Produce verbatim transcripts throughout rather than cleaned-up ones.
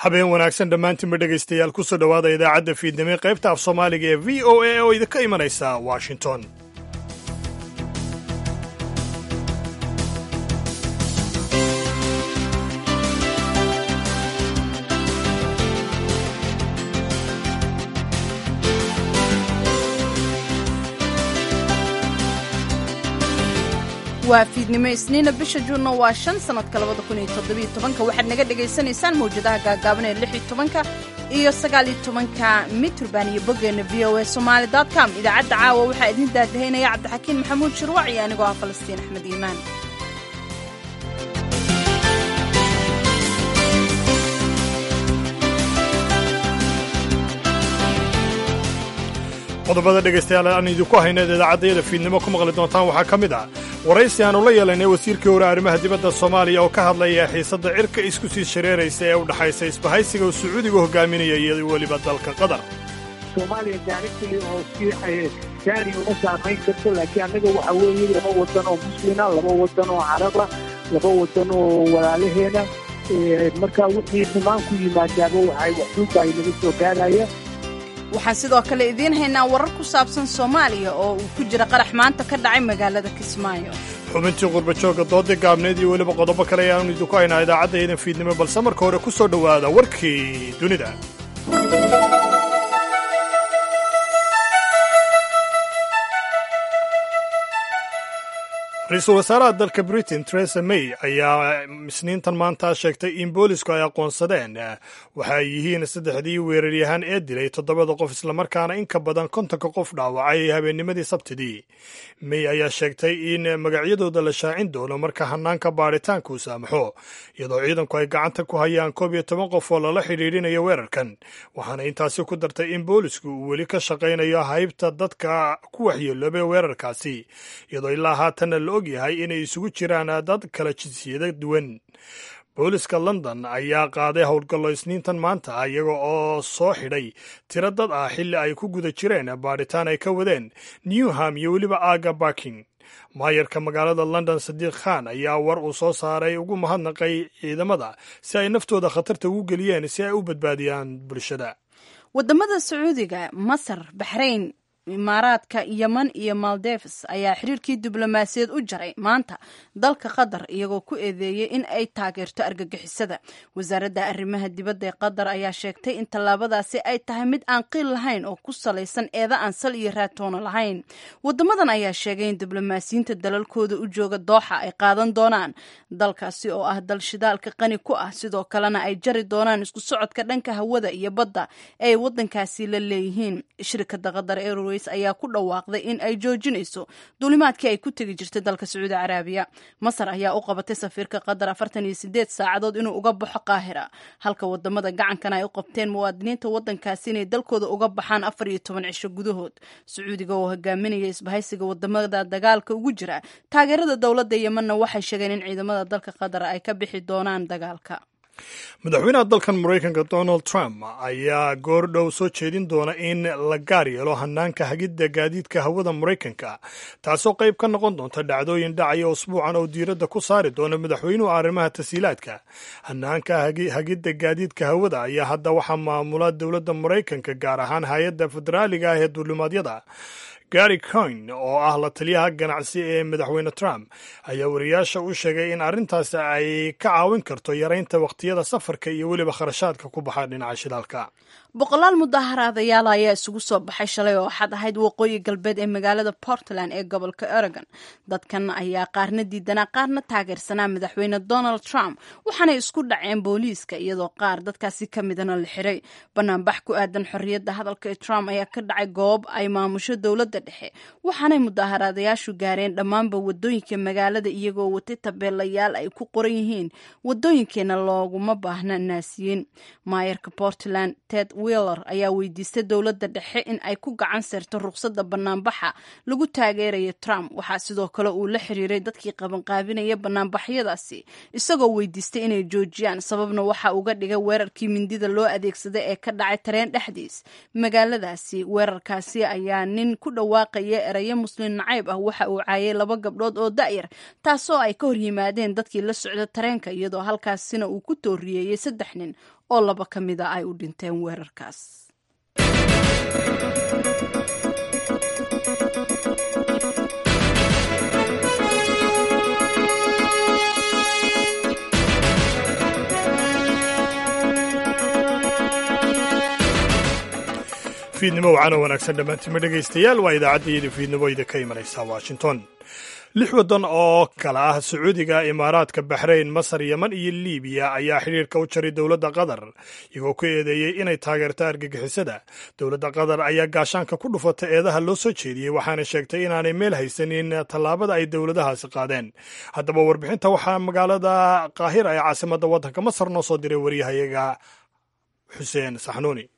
Habeen wanaagsan dhammaantiinba, dhegaystayaal. Kusoo dhowaada idaacadda fiidnimo ee qaybta af Soomaaliga ee V O A oo idinka imanaysa Washington. Waa fiidnimo Isniina, bisha Juunna waa shan, sanadka labada kun iyo toddobiyo tobanka. Waxaad naga dhagaysanaysaan mawjadaha gaagaaban ee lix iyo tobanka iyo sagaal iyo tobanka mitirban iyo boggeena V O A Somali com. Idaacadda caawa waxaa idin daadahaynaya Cabdixakiin Maxamuud Shirwac iyo anigoo ah Falastiin Axmed Iimaan. Qodobada, dhegaystayaal, aan idinku hayneed idaacaddayada fiidnimo ku maqli doontaan waxaa ka mid ah waraysi aanu la yeelanay wasiirkii hore arrimaha dibadda Soomaaliya oo ka hadlaya xiisadda cirka isku sii shareeraysa ee u dhaxaysa isbahaysiga uu Sacuudigu hogaaminaya iyo weliba dalka Qatar. Soomaaliya directly oo si gaari uma saamayn karto, laakiin annaga waxa weeye laba wadan oo Muslina, laba wadan oo Caraba, laba wadan oo walaalaheena. Marka wixii xumaan ku yimaadaaba waxay waxduuba ay naga soo gaaraya. Waxaan sidoo kale idiin haynaa warar ku saabsan Soomaaliya oo uu ku jira qarax maanta ka dhacay magaalada Kismaayo. Xubintii qurba joogga, doodii gaabneed iyo weliba qodobo kale ayaanu idinku haynaa idaacadda idan fiidnimo, balse marka hore ku soo dhowaada warkii dunida. Ra-iisul wasaaraha dalka Britain Theresa May ayaa Isniintan maanta sheegtay in boolisku ay aqoonsadeen waxa ay yihiin saddexdii weeraryahan ee dilay toddobada qof, islamarkaana in ka badan kontonka qof dhaawacay habeennimadii Sabtidii. May ayaa sheegtay in magacyadooda la shaacin doono marka hanaanka baaritaanka uu saamaxo, iyadoo ciidanku ay gacanta ku hayaan koob iyo toban qof oo lala xidhiidhinayo weerarkan. Waxaana intaasi ku dartay in boolisku uu weli ka shaqaynayo haybta dadka ku waxyeeloobay weerarkaasi, iyadoo ilaa haatanna la og yahay inay isugu jiraan dad kala jinsiyada duwan. Booliska London ayaa qaaday howlgallo Isniintan maanta, iyaga oo soo xidhay tiro dad ah xilli ay ku guda jireen baadhitaan ay ka wadeen Newham iyo weliba aaga Barking. Maayarka magaalada London Sadiiq Khan ayaa war uu soo saaray ugu mahadnaqay ciidamada si ay naftooda khatarta ugu geliyeen si ay u badbaadiyaan bulshada. Wadamada Sacuudiga, Masar, Baxrayn, Imaaraadka, Yeman iyo Maldives ayaa xiriirkii diblomaasiyaed u jaray maanta dalka Qatar, iyagoo ku eedeeyey in ay taageerto argagixisada. Wasaaradda arrimaha dibadda ee Qatar ayaa sheegtay in tallaabadaasi ay tahay mid aan qiil lahayn oo ku salaysan eeda aan sal iyo raatoona lahayn. Wadamadan ayaa sheegay in diblomaasiyiinta dalalkooda u jooga Dooxa ay qaadan doonaan dalkaasi oo ah dal shidaalka qani ku ah, sidoo kalena ay jari doonaan isku socodka dhanka hawada iyo badda ee ay wadankaasi la leeyihiin. Shirkadda Qatar Airways ayaa ku dhawaaqday in ay joojinayso duulimaadkii ay ku tegi jirtay dalka Sacuudi Caraabiya. Masar ayaa u qabatay safiirka Qatar afartan iyo sideed saacadood inuu uga baxo Qaahira, halka wadamada gacankana ay u qabteen muwaadiniinta wadankaasi inay dalkooda uga baxaan afar iyo toban cisho gudahood. Sacuudiga oo hogaaminaya isbahaysiga wadamada dagaalka ugu jira taageerada dowladda Yemanna waxay sheegeen in ciidamada dalka Qatar ay ka bixi doonaan dagaalka. Madaxweynaha dalkan Maraykanka Donald Trump ayaa goordhow soo jeedin doona in la gaar yeelo hanaanka hagidda gaadiidka hawada Maraykanka, taasoo qayb ka noqon doonta dhacdooyin dhacaya usbuucan oo diiradda ku saari doona madaxweynuhu arrimaha tasiilaadka. Hanaanka hagidda gaadiidka hawada ayaa hadda waxaa maamula dowladda Maraykanka, gaar ahaan hay-adda federaaliga ah ee duulimaadyada. Gary Cohn oo ah la taliyaha ganacsi ee madaxweyne Trump ayaa wariyaasha u sheegay in arrintaasi ay ka caawin karto yaraynta wakhtiyada safarka iyo weliba kharashaadka ku baxa dhinaca shidaalka. Boqolaal mudaaharaadayaal ayaa isugu soo baxay shalay oo Axad ahayd waqooyi galbeed ee magaalada Portland ee gobolka Oregon. Dadkan ayaa qaarna diidanaa, qaarna taageersanaa madaxweyne Donald Trump, waxaanay isku dhaceen booliiska, iyadoo qaar dadkaasi ka midana la xiray. Banaanbax ku aadan xorriyadda hadalka ee Trump ayaa ka dhacay goob ay maamusho dowladda dhexe, waxaanay mudaaharaadayaashu gaareen dhammaanba wadooyinka magaalada, iyagoo watay tabeelayaal ay ku qoran yihiin "Wadooyinkeena looguma baahna naasiyiin". Maayarka Portland Ted Wheeler ayaa weydiistay dowladda dhexe in ay ku gacan seerto ruqsadda banaanbaxa lagu taageeraya Trump. Waxaa sidoo kale uu la xiriiray dadkii qabanqaabinaya banaanbaxyadaasi, isagoo weydiistay inay joojiyaan. Sababna waxa uga dhigay weerarkii mindida loo adeegsaday ee ka dhacay tareen dhexdiis magaaladaasi. Weerarkaasi ayaa nin ku dhawaaqaya erayo Muslim nacayb ah waxa uu caayay laba gabdhood oo da'yar, taasoo ay ka hor yimaadeen dadkii la socda tareenka, iyadoo halkaasina uu ku tooriyeeyey saddex nin. oo laba ka mida ay u dhinteen weerarkaas. Fiidnimo wacan oo wanaagsan dhammaantima dhegaystayaal. Waa idaacaddayada fiidnimo idinka imanaysa Washington. Lix waddan oo kala ah Sacuudiga, Imaaraadka, Baxrayn, Masar, Yeman iyo Liibiya ayaa xidhiirka u jaray dowladda Qatar, iyagoo ku eedeeyey inay taageerto argagixisada. Dowladda Qatar ayaa gaashaanka ku dhufatay eedaha loo soo jeediyey, waxaana sheegtay inaanay meel haysanin tallaabada ay dowladahaasi qaadeen. Haddaba warbixinta waxaa magaalada Qaahira ee caasimadda waddanka Masar noo soo diray waryahayaga Xuseen Saxnuuni.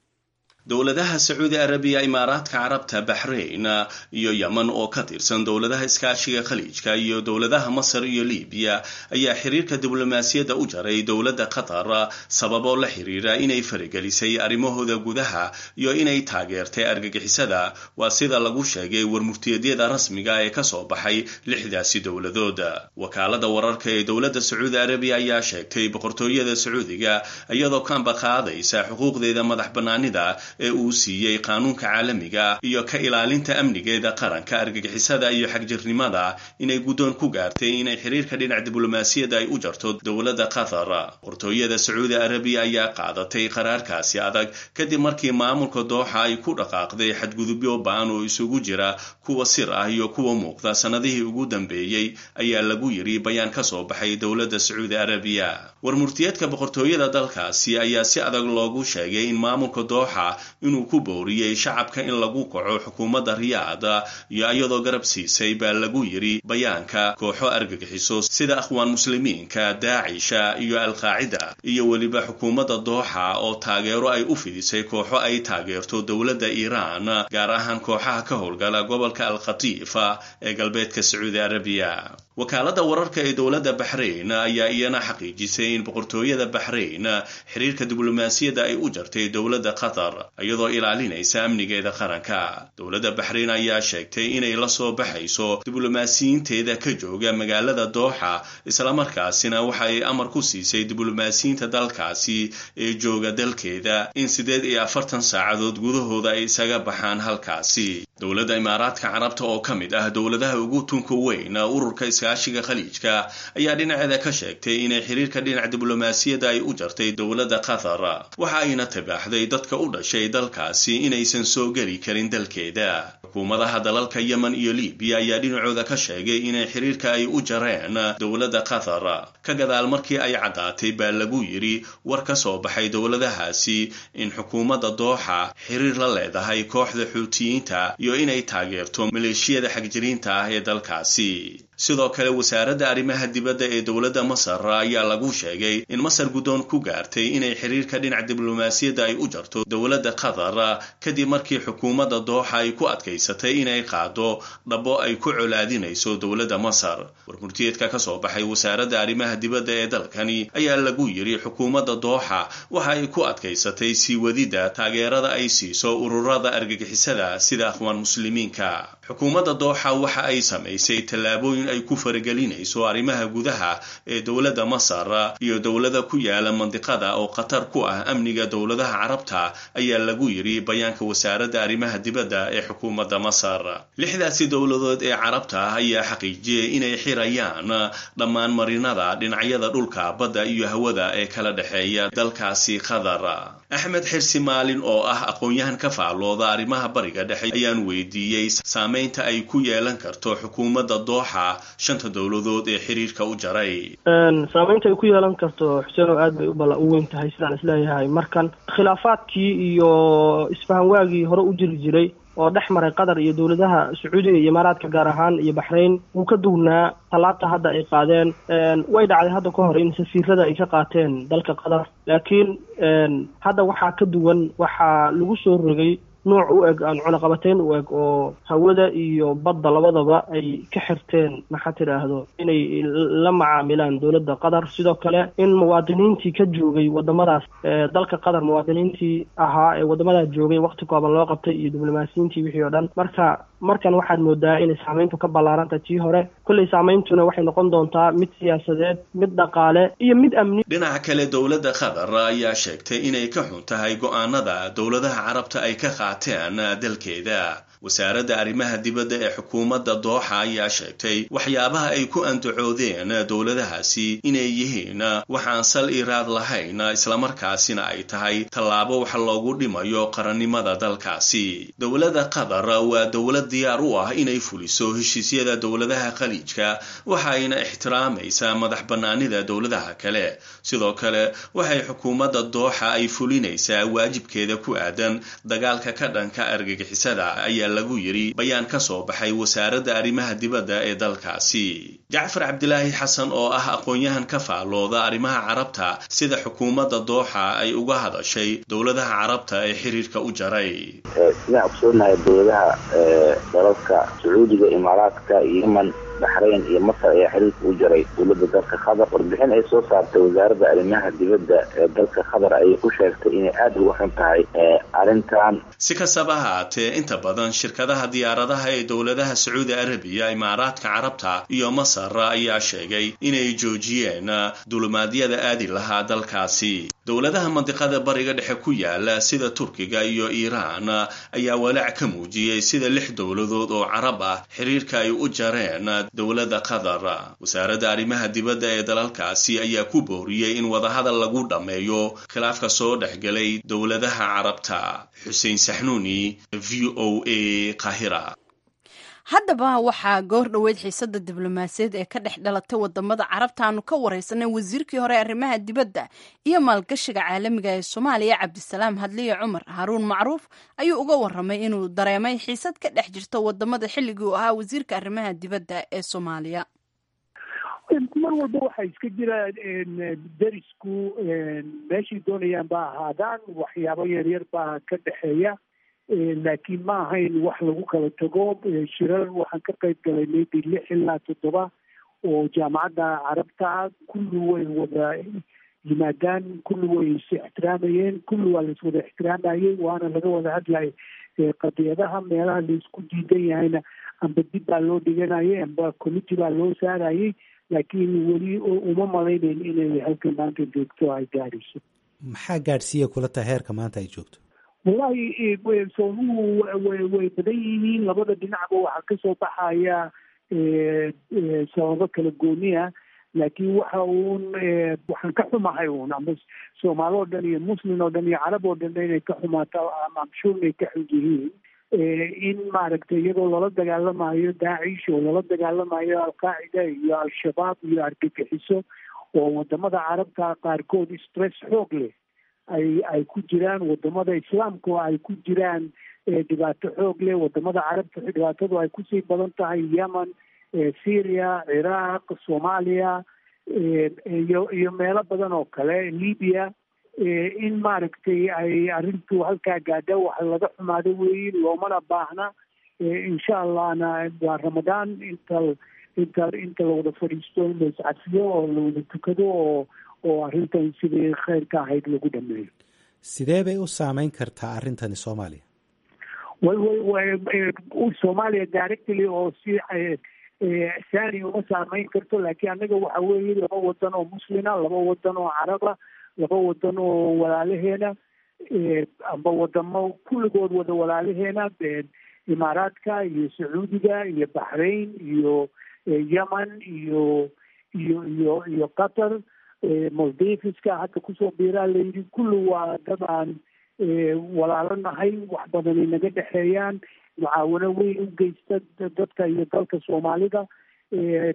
Dowladaha Sacuudi Arabiya, Imaaraadka Carabta, Baxrayn iyo Yeman oo ka tirsan dowladaha Iskaashiga Khaliijka iyo dowladaha Masar iyo Liibiya ayaa xiriirka diblomaasiyadda u jaray dowladda Qatar, sababoo la xiriira inay faragelisay arrimahooda gudaha iyo inay taageertay argagixisada, waa sida lagu sheegay warmurtiyeedyada rasmiga ee kasoo baxay lixdaasi dowladood. Wakaalada wararka ee dowladda Sacuudi Arabiya ayaa sheegtay boqortooyada Sacuudiga, iyadoo kaanba qaadaysa xuquuqdeeda madax bannaanida ee uu siiyey qaanuunka caalamiga iyo ka ilaalinta amnigeeda qaranka argagixisada iyo xagjirnimada, inay guddoon ku gaartay inay xiriirka dhinac diblomaasiyadda ay u jarto dowladda Qatar. Boqortooyada Sacuudi Arabiya ayaa qaadatay qaraarkaasi adag kadib markii maamulka Dooxa ay ku dhaqaaqday xadgudubyo ba'an oo isugu jira kuwa sir ah iyo kuwa muuqda sannadihii ugu dambeeyey, ayaa lagu yiri bayaan ka soo baxay dowladda Sacuudi Arabiya. Warmurtiyeedka boqortooyada dalkaasi ayaa si adag loogu sheegay in maamulka Dooxa inuu ku booriyey shacabka in lagu kaco xukuumadda Riyaada, iyo iyadoo garab siisay, baa lagu yiri bayaanka, kooxo argagixiso sida Akhwaan Muslimiinka, Daacisha iyo Alqaacida, iyo weliba xukuumadda Dooxa oo taageero ay u fidisay kooxo ay taageerto dowladda Iiraan, gaar ahaan kooxaha ka howlgala gobolka Alkhatiifa ee galbeedka Sacuudi Arabiya. Wakaaladda wararka ee dowladda Baxrayn ayaa iyana xaqiijisay in boqortooyada Baxrayn xiriirka diblomaasiyadda ay u jartay dowladda Qatar, iyadoo ilaalinaysa amnigeeda qaranka. Dowladda Baxrayn ayaa sheegtay inay la soo baxayso diblomaasiyiinteeda ka jooga magaalada Dooxa, islamarkaasina waxa ay amar ku siisay diblomaasiyiinta dalkaasi ee jooga dalkeeda in siddeed iyo afartan saacadood gudahooda ay isaga baxaan halkaasi. Dowladda Imaaraadka Carabta oo ka mid ah dowladaha ugu tunka weyn ururka Iskaashiga Khaliijka ayaa dhinaceeda ka sheegtay inay xiriirka dhinac diblomaasiyadda ay u jartay dowladda Qatar, waxa ayna tibaaxday dadka u dhashay dalkaasi inaysan soo geli karin dalkeeda. Xukuumadaha dalalka Yemen iyo Liibiya ayaa dhinacooda ka sheegay inay xiriirka ay u jareen dowladda Qatar ka gadaal markii ay caddaatay, baa lagu yiri war ka soo baxay dowladahaasi, in xukuumadda Dooxa xiriir la leedahay kooxda Xuutiyiinta iyo inay taageerto maleeshiyada xagjiriinta ah ee dalkaasi. Sidoo kale wasaaradda arrimaha dibadda ee dowladda Masar ayaa lagu sheegay in Masar guddoon ku gaartay inay xiriirka dhinac diblomaasiyadda ay u jarto dowladda Qatar, kadib markii xukuumadda Dooxa ay ku adkaysatay inay qaado dhabo ay ku colaadinayso dowladda Masar. Warmurtiyeedka ka soo baxay wasaaradda arrimaha dibadda ee dalkani ayaa lagu yiri xukuumadda Dooxa waxa ay ku adkaysatay sii wadidda taageerada ay siiso ururada argagixisada sida Akhwaan Muslimiinka. Xukuumadda Dooxa waxa ay samaysay tallaabooyin ay ku faragelinayso arrimaha gudaha ee dowladda Masar iyo dowlada ku yaala mandiqada oo khatar ku ah amniga dowladaha Carabta, ayaa lagu yiri bayaanka wasaaradda arrimaha dibadda ee xukuumadda Masar. Lixdaasi dowladood ee Carabta ah ayaa xaqiijiyey inay xirayaan dhammaan marinada dhinacyada dhulka, badda iyo hawada ee kala dhexeeya dalkaasi Qatar. Axmed Xirsi Maalin oo ah aqoon-yahan ka faallooda arrimaha Bariga Dhexe ayaan weydiiyey saameynta ay ku yeelan karto xukuumadda Dooxa shanta dowladood ee xiriirka u jaray. Saameynta ay ku yeelan karto, Xuseen, oo aad bay ubala u weyn tahay sidaan isleeyahay. Markan khilaafaadkii iyo isfahan waagii hore u jiri jiray oo dhex maray Qatar iyo dowladaha Sacuudiga iyo Imaaraadka gaar ahaan iyo Baxrayn wuu ka duwnaa tallaabta hadda ay qaadeen. Way dhacday hadda ka hor in safiirada ay ka qaateen dalka Qatar, laakiin hadda waxaa ka duwan, waxaa lagu soo rogay nooc u eg aan cunaqabateyn u eg oo hawada iyo badda labadaba ay ka xirteen, maxaa tidhaahdo, inay la macaamilaan dowladda Qatar. Sidoo kale in muwaadiniintii ka joogay wadamadaas dalka Qatar, muwaadiniintii ahaa ee waddamadaas joogay, waqti kooban loo qabtay, iyo diblomaasiyiintii wixii oo dhan. Marka Markan waxaad moodaa inay saameyntu ka ballaarantahay tii hore. Kolley saameyntuna waxay noqon doontaa mid siyaasadeed, mid dhaqaale iyo mid amni. Dhinaca kale, dowladda Qatar ayaa sheegtay inay ka xun tahay go'aanada dowladaha Carabta ay ka qaateen dalkeeda. Wasaaradda arrimaha dibadda ee xukuumadda Dooxa ayaa sheegtay waxyaabaha ay ku andacoodeen dowladahaasi inay yihiin waxaan sal iraad lahayn, islamarkaasina ay tahay tallaabo wax loogu dhimayo qarannimada dalkaasi. Dowladda Qatar waa dowlad diyaar u ah inay fuliso heshiisyada dowladaha Khaliijka, waxayna ixtiraamaysaa madax bannaanida dowladaha kale. Sidoo kale, waxay xukuumadda Dooxa ay fulinaysaa waajibkeeda ku aadan dagaalka ka dhanka argagixisada, ayaa lagu yiri bayaan ka soo baxay wasaaradda arrimaha dibadda ee dalkaasi. Jacfar Cabdilaahi Xasan oo ah aqoon-yahan ka faallooda arrimaha Carabta, sida xukuumadda Dooxa ay uga hadashay dowladaha Carabta ee xiriirka u jaray. Sidaan ogsoonahay, dowladaha dalalka Sacuudiga, Imaaraadka, Yemen, Baxrayn iyo Masar ayaa xiriirka u jaray dowladda dalka Qatar. Warbixin ay soo saartay wasaaradda arrimaha dibadda ee dalka Qatar ayay ku sheegtay inay aada uga xun tahay arrintan. Si kastaba ahaatee, inta badan shirkadaha diyaaradaha ee dowladaha Sacuudi Arabiya, Imaaraadka Carabta iyo Masar ayaa sheegay inay joojiyeen dulimaadyada aadi lahaa dalkaasi. Dowladaha mandiqada Bariga Dhexe ku yaala sida Turkiga iyo Iiraan ayaa walaac ka muujiyey sida lix dowladood oo Carab ah xiriirka ay u jareen dowladda Qatar. Wasaaradda arrimaha dibadda ee dalalkaasi ayaa ku booriyey in wadahadal lagu dhammeeyo khilaafka soo dhexgelay dowladaha Carabta. Xuseen Saxnuuni, V O A, Qahira. Haddaba waxaa goor dhoweyd xiisada diblomaasiyaed ee ka dhex dhalatay wadamada Carabta aanu ka wareysanay wasiirkii hore arrimaha dibadda iyo maalgashiga caalamiga ee Soomaaliya, Cabdisalaam Hadliye Cumar. Haruun Macruuf ayuu uga waramay inuu dareemay xiisad ka dhex jirta wadamada xilligii uu ahaa wasiirka arrimaha dibadda ee Soomaaliya. Mar walba waxaa iska jira derisku meeshay doonayaan ba ahaadaan, waxyaabo yaryar baa ka dhexeeya, laakiin ma ahayn wax lagu kala tago. Shirar waxaan ka qayb galay maybe lix ilaa toddoba oo Jaamacadda Carabta. Kulli way wada yimaadaan, kulli way is ixtiraamayeen, kulli waa la iswada ixtiraamayey, waana laga wada hadlayay qadiyadaha. Meelaha laisku diidan yahayna amba dib baa loo dhiganayay amba committee baa loo saarayay, laakiin weli uma malaynayn inay halka maanta joogto ay gaadhayso. Maxaa gaadhsiiya kula tahay heerka maanta ay joogto? Wallahi, sababuhu way way badan yihiin. Labada dhinacba waxaa kasoo baxaya sababo kala gooniya, laakiin waxa uun waxaan ka xumahay uun ama Soomaali oo dhan iyo Muslim oo dhan iyo Carab oo dhan inay ka xumaato ama amshuur inay ka xun yihiin in maaragtay iyadoo lala dagaalamayo Daacish oo lala dagaalamayo Alqaacida iyo Al-Shabaab iyo argagixiso, oo wadamada Carabta qaarkood stress xoog leh ay ay ku jiraan, wadamada Islaamka oo ay ku jiraan dhibaato xoog leh, wadamada Carabta dhibaatadu ay kusii badan tahay, Yemen, Syria, Ciraaq, Soomaaliya iyo iyo meelo badan oo kale, Libya, in maaragtay ay arrintu halkaa gaadha waxa laga xumaado weeye, loomana baahna. Insha Allahna waa Ramadaan, inta inta inta la wada fadhiisto in la iscafiyo oo la wada tukado oo oo arrintan sidii khayrka ahayd lagu dhameeyo. Sidee bay u saameyn kartaa arrintani Soomaaliya? way way way Soomaaliya directly oo si saani uma saameyn karto, laakiin annaga waxa weeye laba wadan oo Muslina, laba wadan oo Caraba, laba wadan oo walaalaheena amba wadamo kulligood wada walaalaheena, Imaaraadka iyo Sacuudiga iyo Baxrain iyo Yemen iyo iyo iyo iyo Qatar, Maldiveska hadda kusoo biiraa layidhi, kulli waa dad aan walaalo nahay, wax badanay naga dhexeeyaan, mucaawano weyn u geysta dadka iyo dalka Soomaalida.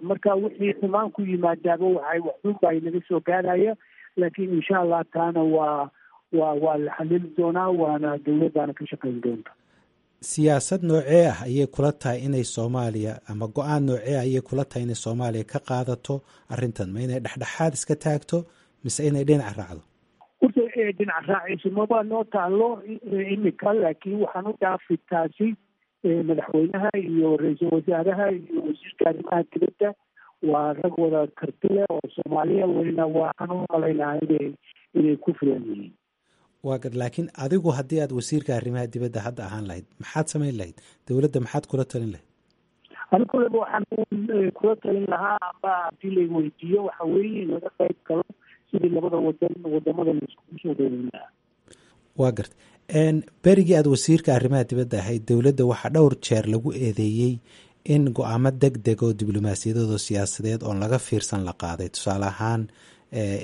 Marka wixii xumaan ku yimaadaaba waxay waxxun baa inaga soo gaaraya, laakiin insha Allah taana waa waa waa la xalili doonaa, waana dowladdaana ka shaqayn doonta. Siyaasad noocee ah ayay kula tahay inay Soomaaliya ama go-aan noocee ah ayay kula tahay inay Soomaaliya ka qaadato arrintan? Ma inay dhexdhexaad iska taagto mise inay dhinac raacdo? Horta dhinac raaciso maba noo taalo imika, laakiin waxaan u dhaafi taasi madaxweynaha iyo ra-iisul wasaaraha iyo wasiirka arrimaha dibadda. Waa rag wada karti leh oo Soomaaliya weyna, waxaan u malaynaha inay inay ku filan yihiin. Waa gar, laakiin adigu haddii aad wasiirka arrimaha dibadda hadda ahaan lahayd, maxaad samayn lahayd? Dowladda maxaad kula talin lahayd? Ani kuleba waxaan kula talin lahaa, amba haddii la weydiiyo, waxa weeye in laga qayb galo sidii labada wadan, wadamada la iskugu soo dhaweyn lahaa. Waa garta. Berigii aad wasiirka arrimaha dibadda ahayd, dowladda waxaa dhowr jeer lagu eedeeyey in go-aamo deg deg oo diblomaasiyadeed oo siyaasadeed oon laga fiirsan la qaaday. Tusaale ahaan,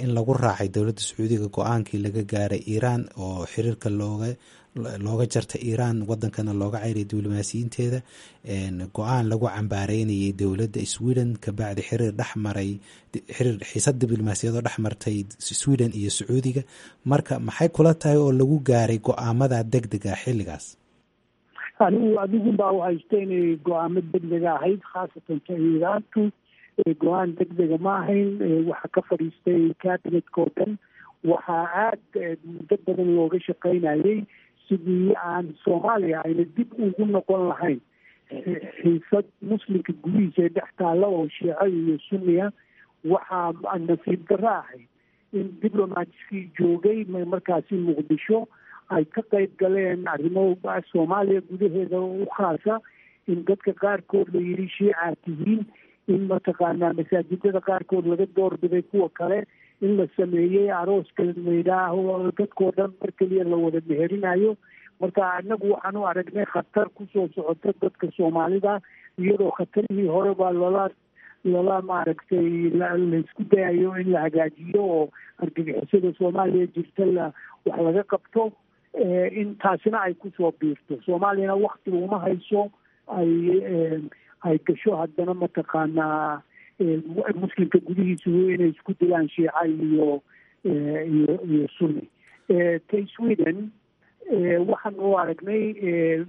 in lagu raacay dowladda Sacuudiga go-aankii laga gaaray Iiraan oo xiriirka looga looga jarta Iiraan, wadankana looga ceyray diblomaasiyiinteeda, go-aan lagu cambaareynayay dowladda Sweden kabacdi xiriir dhexmaray, xiriir xiisad diblomaasiyad oo dhex martay Sweden iyo Sacuudiga. Marka maxay kula tahay oo lagu gaaray go-aamada deg dega xilligaas? Anigu adigun baa u haysta inay go-aamo degdega ahayd, khaasatan ta Iiraantu go-aan degdega ma ahayn. Waxaa ka fadhiistay cabinetka oo dhan. Waxaa aada muddo badan looga shaqaynayay sidii aan Soomaaliya ayna dib ugu noqon lahayn xiisad muslimka gudihiisa ee dhex taalla oo Shiico iyo Sunniya. Waxaa nasiib darro ahayd in diplomatskii joogay markaasi Muqdisho ay ka qayb galeen arrimo Soomaaliya gudaheeda u khaasa, in dadka qaarkood la yidhi Shiicaad tihiin, in mataqaanaa masaajidada qaarkood laga doorbiday kuwa kale, in la sameeyey arooska layidhaaho dadkoo dhan mar keliya la wada meherinayo. Marka anagu waxaan u aragnay khatar kusoo socota dadka Soomaalida, iyadoo khatarihii hore baa lala lala maaragtay laisku dayayo in la hagaajiyo oo argagixisada Soomaaliya jirta la wax laga qabto, in taasina ay kusoo biirto. Soomaaliyana waktiga uma hayso ay ay gasho haddana mataqaanaa muslimka gudihiisu inay isku dilaan Shiica iyo iyo iyo Sunni. Tay Sweden waxaan u aragnay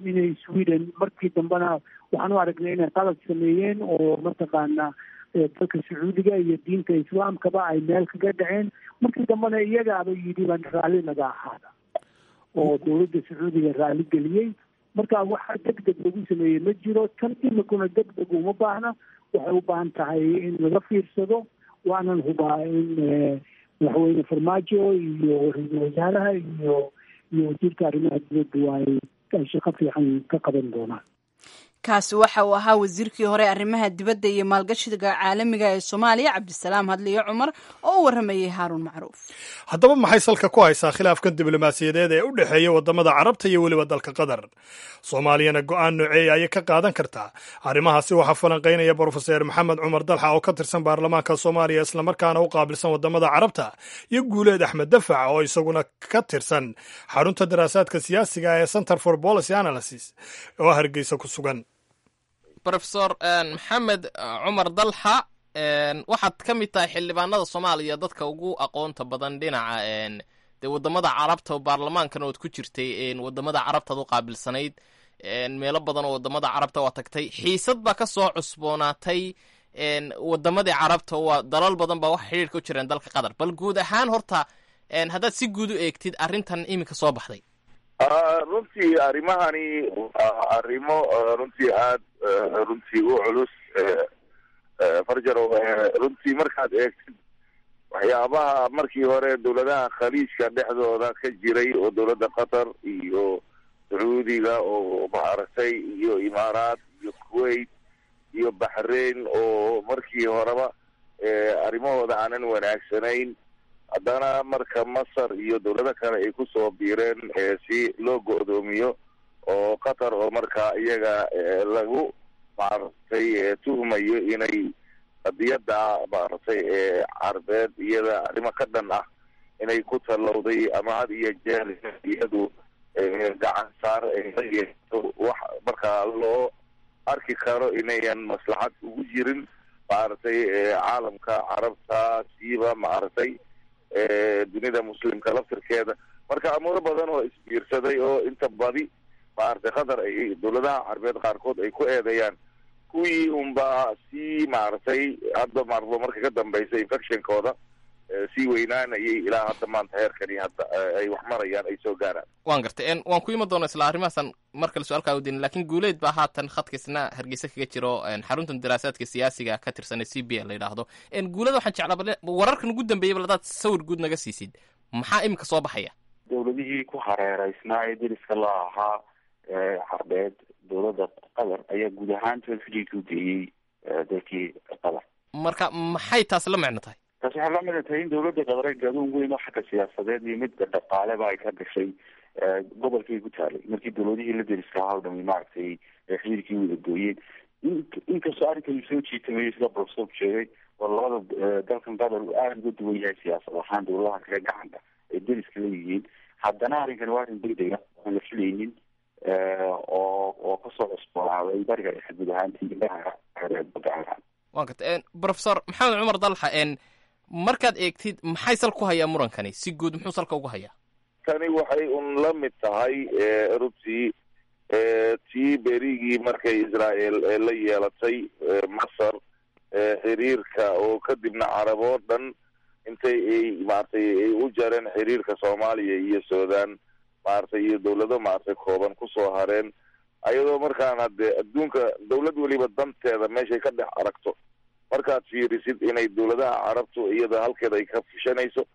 inay Sweden markii dambena waxaan u aragnay inay qalad sameeyeen oo mataqaanaa dalka Sacuudiga iyo diinta islaamkaba ay meel kaga dhaceen. Markii dambena iyagaaba yidhi baan raalli naga ahaada oo dowladda Sacuudiga raalli geliyey. Marka waxa deg deg lagu sameeyey ma jiro. Tan imikuna deg deg uma baahna, waxay u baahan tahay in laga fiirsado. Waanan hubaa in Madaxweyne Farmaajo iyo ra-iisul wasaaraha iyo iyo wasiirka arrimaha dibadda ay ay shaqo fiican ka qaban doonaan. Kaasi waxa uu ahaa wasiirkii hore arrimaha dibadda iyo maalgashiga caalamiga ee Soomaaliya, Cabdisalaam Hadliyo Cumar, oo u warramayay Haaruun Macruuf. Haddaba maxay salka ku haysaa khilaafkan diblomaasiyadeed ee u dhexeeya waddamada Carabta iyo weliba dalka Qatar? Soomaaliyana go-aan nooceeya ayay ka qaadan kartaa arrimahaasi? Waxaa falanqaynaya Brofeser Maxamed Cumar Dalxa oo ka tirsan baarlamaanka Soomaaliya, islamarkaana u qaabilsan waddamada Carabta, iyo Guuleed Axmed Dafac oo isaguna ka tirsan xarunta daraasaadka siyaasiga ee Center for Policy Analysis oo Hargeysa ku sugan. Brofesor Maxamed Cumar Dalxa, waxaad ka mid tahay xildhibaanada Soomaaliya dadka ugu aqoonta badan dhinaca dee waddamada Carabta, oo baarlamaankana ood ku jirtay, waddamada Carabtaad u qaabilsanayd, meelo badan oo waddamada Carabta waa tagtay. Xiisad baa ka soo cusboonaatay waddamadii Carabta, waa dalal badan baa wax xidhiirka u jireen dalka Qatar. Bal guud ahaan horta haddaad si guud u eegtid arrintan iminka soo baxday. Runtii arrimahani waa arrimo runtii aada runtii u culus, Farjaro. Runtii markaad eegtid waxyaabaha markii hore dowladaha Khaliijka dhexdooda ka jiray oo dowladda Qatar iyo Sacuudiga oo maaragtay iyo Imaaraat iyo Kuwait iyo Baxrain oo markii horeba arrimahooda aanan wanaagsanayn, haddana marka Masar iyo dowlado kale ay kusoo biireen si loo go'doomiyo oo Qatar oo markaa iyaga lagu maaragtay tuhmayo inay qadiyadda maaragtay ee Carbeed iyada arrimo ka dhan ah inay ku tallowday ama had iyo jeer iyadu gacan saar yeeto, wax markaa loo arki karo inayan maslaxad ugu jirin maaragtay caalamka Carabta, siiba maaragtay dunida muslimka laftirkeeda. Marka amuuro badan oo isbiirsaday oo inta badi maaragtay Qatar ay dowladaha Carbeed qaarkood ay ku eedeeyaan, kuwii unbaa sii maaragtay hadda maardo marka ka dambaysa infectionkooda sii weynaanayay ilaa hadda maanta heerkani hadda ay wax marayaan ay soo gaaraan. Waan gartay, waan ku iman doonaa isla arrimahaasaan mar kale su-aalkaa udin, laakiin Guuleed baa haatan khadkaisna Hargeysa kaga jiro, xaruntan daraasaadka siyaasiga ka tirsan ee C B A la yidhaahdo. Guuleda, waxaan jeclaa bal wararkan ugu dambeeyay bal hadaad sawir guud naga siisid, maxaa iminka soo baxaya? Dowladihii ku hareereysnaa ee deriska la ahaa carbeed dowladda Qatar ayaa guud ahaantood xidhiidka u geeyey dalkii Qatar. Marka maxay taas la micno tahay? Taas waxay la micno tahay in dowladda Qatar ay gadoon weyn oo xagga siyaasadeed iyo midda dhaqaaleba ay ka gashay gobolkii ku taalay markii dowladihii la deriska ahaa o dhami maaragtay xidhiidkii wada gooyeen. Inkastoo arrinkan uu soo jiitamayo sida professor sheegay, oo labada dalkan Qatar uu aada uga duwan yahay siyaasad ahaan dowladaha kale gacanka ay deriska leeyihiin, haddana arrinkan waa arrin degdega aan la filaynin oo oo kasoo cusboonaaday bariga dhexe guud ahaantii badda. Waan garta, Professor Maxamed Cumar Dalxa, markaad eegtid maxay sal ku hayaa murankani si guud, muxuu salka ugu hayaa? Tani waxay un la mid tahay runtii tii berigii markay Israel la yeelatay Masar xiriirka, oo kadibna carab oo dhan intay ay maaragtay ay u jareen xiriirka Soomaaliya iyo Sudan maaragtay iyo dowlado maaragtay kooban kusoo hareen, ayadoo markaan hadee adduunka dowlad weliba danteeda meeshay ka dhex aragto markaad fiirisid inay dowladaha carabtu iyada halkeeda ay ka fushanayso.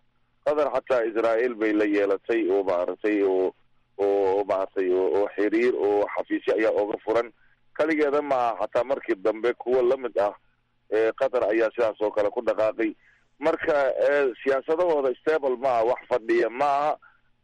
Qatar xataa Israel bay la yeelatay oo maaragtay oo oo maaragtay oo xiriir oo xafiisyo ayaa oga furan, kaligeeda maaha, xataa markii dambe kuwa lamid ah Qatar ayaa sidaas oo kale ku dhaqaaqay. Marka siyaasadahooda stable maaha, wax fadhiya maaha,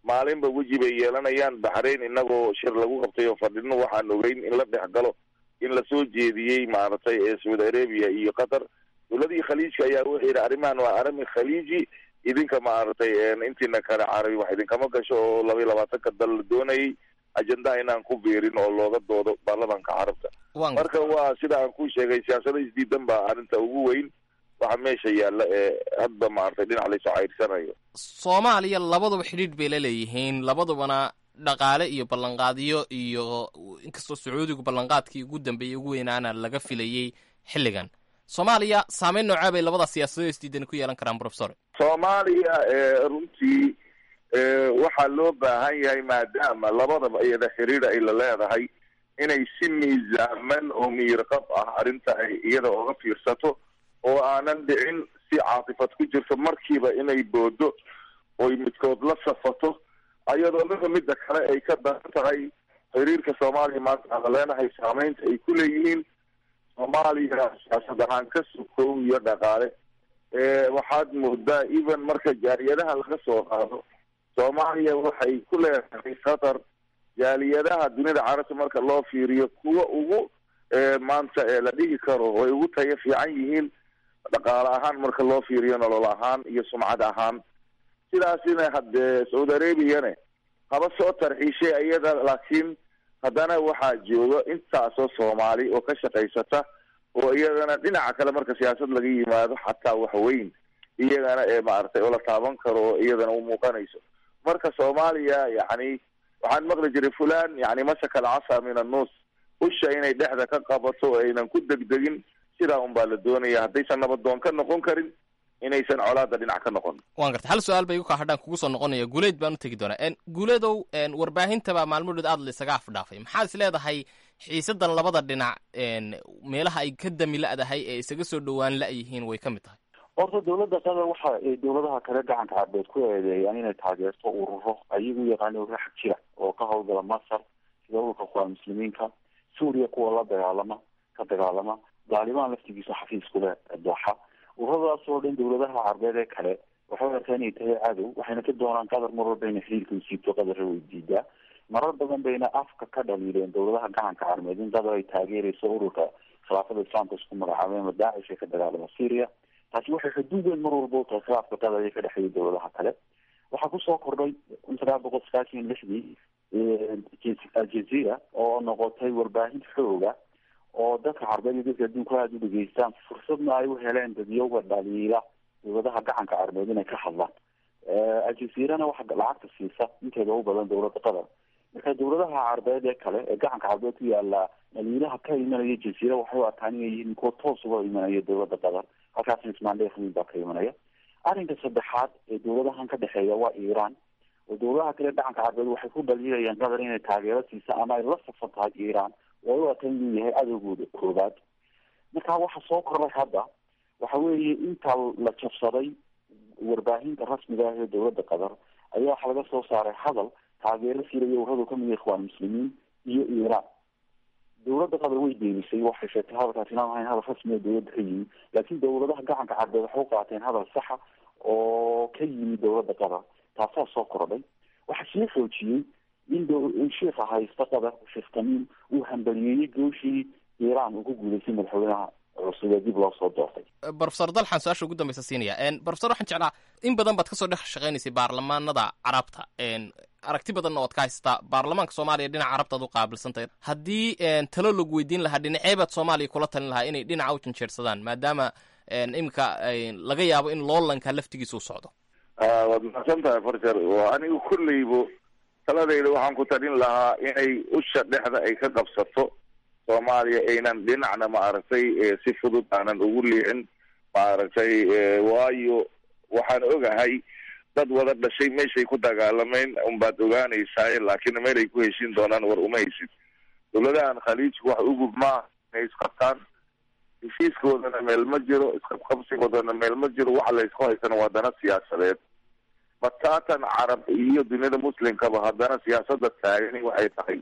maalinba weji bay yeelanayaan. Baxrayn inagoo shir lagu qabtay oo fadhino waxaan ogeyn in la dhex galo in lasoo jeediyey maaragtay ee Saudi Arabia iyo Qatar. Dowladihii khaliijka ayaa wuxuu yidhi arrimahan waa arrimi khaliiji, idinka maaragtay intiina kale carabi wax idinkama gasho, oo laba iyo labaatanka dal la doonayay ajendaha inaan ku biirin oo looga doodo baarlamaanka carabta. Marka waa sida aan ku sheegay, siyaasada isdiidan baa arrinta ugu weyn waxa meesha yaalla ee hadda maaragtay dhinac laysoo cayrsanayo. Soomaaliya labaduba xidhiidh bay la leeyihiin, labadubana dhaqaale iyo ballanqaadyo, iyo inkastoo Sacuudigu ballanqaadkii ugu dambeeyey ugu weynaana laga filayey xilligan, Soomaaliya saameyn noocaa bay labada siyaasadood isdiidan ku yeelan karaan, professor? Soomaaliya runtii waxaa loo baahan yahay maadaama labadaba iyada xiriir ay la leedahay inay si miisaaman oo miirqab ah arrinta ay iyada oga fiirsato, oo aanan dhicin si caatifad ku jirto markiiba inay boodo oy midkood la safato, ayadoo midba midda kale ay ka daran tahay. Xiriirka Soomaaliya maanta aan leenahay saameynta ay ku leeyihiin Soomaaliya siyaasad ahaan ka sukow iyo dhaqaale, waxaad moodaa even marka jaaliyadaha laga soo qaado Soomaaliya waxay ku leedahay Qatar jaaliyadaha dunida carabta marka loo fiiriyo kuwa ugu maanta ee la dhigi karo way ugu tayo fiican yihiin dhaqaale ahaan marka loo fiiriyo, nolol ahaan iyo sumcad ahaan. Sidaasina haddee Saudi Arabiane haba soo tarxiishay iyada, laakiin haddana waxaa jooga intaasoo Soomaali oo ka shaqaysata oo iyagana dhinaca kale marka siyaasad laga yimaado xataa wax weyn iyagana ee maaragtay oo la taaban karo oo iyadana u muuqanayso. Marka Soomaaliya yacni waxaan maqli jiray fulan yani masaka alcasa min annus, usha inay dhexda ka qabato oo aynan ku degdegin, sidaa un baa la doonaya haddaysan nabadoon ka noqon karin inaysan colaada dhinac ka noqon. Waan gartay, hal su-aal bay igu kaa hadhaan kugu soo noqonaya, Guuleed baan u tegi doonaa. Guuleedow, warbaahintabaa maalmo dhood aada laysaga afdhaafay, maxaad is leedahay xiisadan labada dhinac meelaha ay ka dami la'dahay ee isaga soo dhowaan la'yihiin way ka mid tahay? Horta dowladda Qatar waxa ay dowladaha kale gacanka carbeed ku eedeeyaan inay taageerto ururo ayagu yaqaano ururo xag jira oo ka howlgala Masar, sida ururka Ikhwaan Muslimiinka, Suuriya kuwa la dagaalama ka dagaalama, Daalibaan laftigiisa xafiis ku leh Dooxa. Ururadaas oo dhan dowladaha carbeed ee kale waxay arkaan inay tahay cadow, waxayna ka doonaan Qatar mar walba inay xiriirka u siibto, Qatarna way diidaa. Marar badan bayna afka ka dhaliileen dowladaha gacanka carbeed in Qatar ay taageerayso ururka khilaafada islaamka isku magacaabay ama Daacish ee ka dagaalama Syria. Taasi waxay xuduud weyn mar walba u tahay khilaafka Qatar ee ka dhexeeya dowladaha kale. Waxaa kusoo kordhay kun sagaal boqol sagaashan iyo lixdii Aljazeera oo noqotay warbaahin xooga oo dadka carbeed iyo dadka adduunka aada u dhegeystaan, fursadna ay u heleen dadyowga dhaliila dowladaha gacanka carbeed inay ka hadlaan. Aljazeerana waxa lacagta siisa inteeda u badan dowladda Qatar. Marka dowladaha carbeed ee kale ee gacanka carbeed ku yaala dhaliilaha ka imanaya Jazeera waxay u arkaan inay yihiin kuwa toos uga imanaya dowladda Qatar, halkaasna ismaandheekh weyn baa ka imanaya. Arrinka saddexaad ee dowladahan ka dhexeeya waa Iiraan, oo dowladaha kale gacanka carbeed waxay ku dhaliilayaan Qatar inay taageero siisa ama ay la safan tahay Iiraan, oo ay u arkaan inuu yahay cadowgooda koobaad. Marka waxa soo kordhay hadda waxa weeye inta la jabsaday warbaahinta rasmiga ah ee dowladda Qatar ayaa waxaa laga soo saaray hadal taageero siiraya ururadu kamid yahay Ikhwaan Muslimiin iyo Iiraan. Dowladda Qatar way beenisay, waxay sheegtay hadalkaasi inaan ahayn hadal rasmi oo dowladda ka yimi, laakiin dowladaha gacanka carbeed waxay u qaateen hadal saxa oo ka yimi dowladda Qatar. Taasaa soo kordhay. Waxaa sii xoojiyey in in sheikha haysta Qatar, Sheekh Tamiim, uu hambaliyeeyey gooshii Iiraan uu ku guuleystay madaxweynaha cusub ee dib loo soo doortay. Professor Dalxan su-aasha ugu dambeysa siinaya. Professor, waxaan jeclaa in badan baad kasoo dhex shaqeynaysay baarlamaanada carabta, aragti badanna oad ka haysataa baarlamaanka Soomaaliya dhinaca carabta aad u qaabilsantahay. Haddii talo lagu weydiin lahaa, dhinacee baad Soomaaliya kula talin lahaa inay dhinaca u janjeersadaan, maadaama iminka laga yaabo in loolanka laftigiisa u socdo? Waad mahadsan tahay Farjar. Anigu kolleybo taladayda waxaan ku talin lahaa inay usha dhexda ay ka qabsato Soomaaliya, aynan dhinacna maaragtay si fudud aanan ugu liicin maaragtay, waayo waxaan ogahay dad wada dhashay meeshay ku dagaalameen unbaad ogaanaysaa, laakiin meel ay ku heshin doonaan war uma haysid. Dowladahan khaliijku wax ugub maaha inay isqabtaan, heshiiskoodana meel ma jiro, isqabqabsigoodana meel ma jiro, waxa la isku haysana waa dana siyaasadeed. Bataatan carab iyo duniyada muslimkaba haddana siyaasada taagani waxay tahay.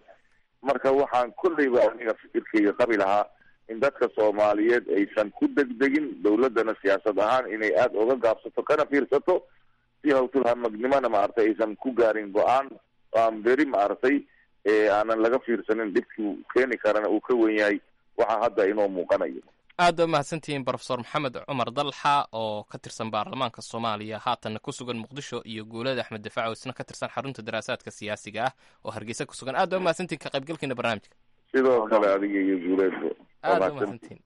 Marka waxaan kolleyba aniga fikirkayga qabi lahaa in dadka Soomaaliyeed aysan ku degdegin, dowladana siyaasad ahaan inay aada uga gaabsato kana fiirsato si hawtul hamagnimona maaragtay aysan ku gaarin go-aan aan beri maaragtay aanan laga fiirsanin, dhibkii keeni karana uu ka wen yahay waxa hadda inoo muuqanayo. Aad ba mahadsantihiin Professor Maxamed Cumar Dalxa oo ka tirsan baarlamaanka Soomaaliya, haatanna ku sugan Muqdisho, iyo Guulada Axmed Dafaac oo isna ka tirsan xarunta daraasaadka siyaasiga ah oo Hargeysa ku sugan. Aad ba mahadsantihiin ka qaybgalkiina barnaamijka. Sidoo kale adiga iyo Guuleedba. Aad ba mahadsantihiin.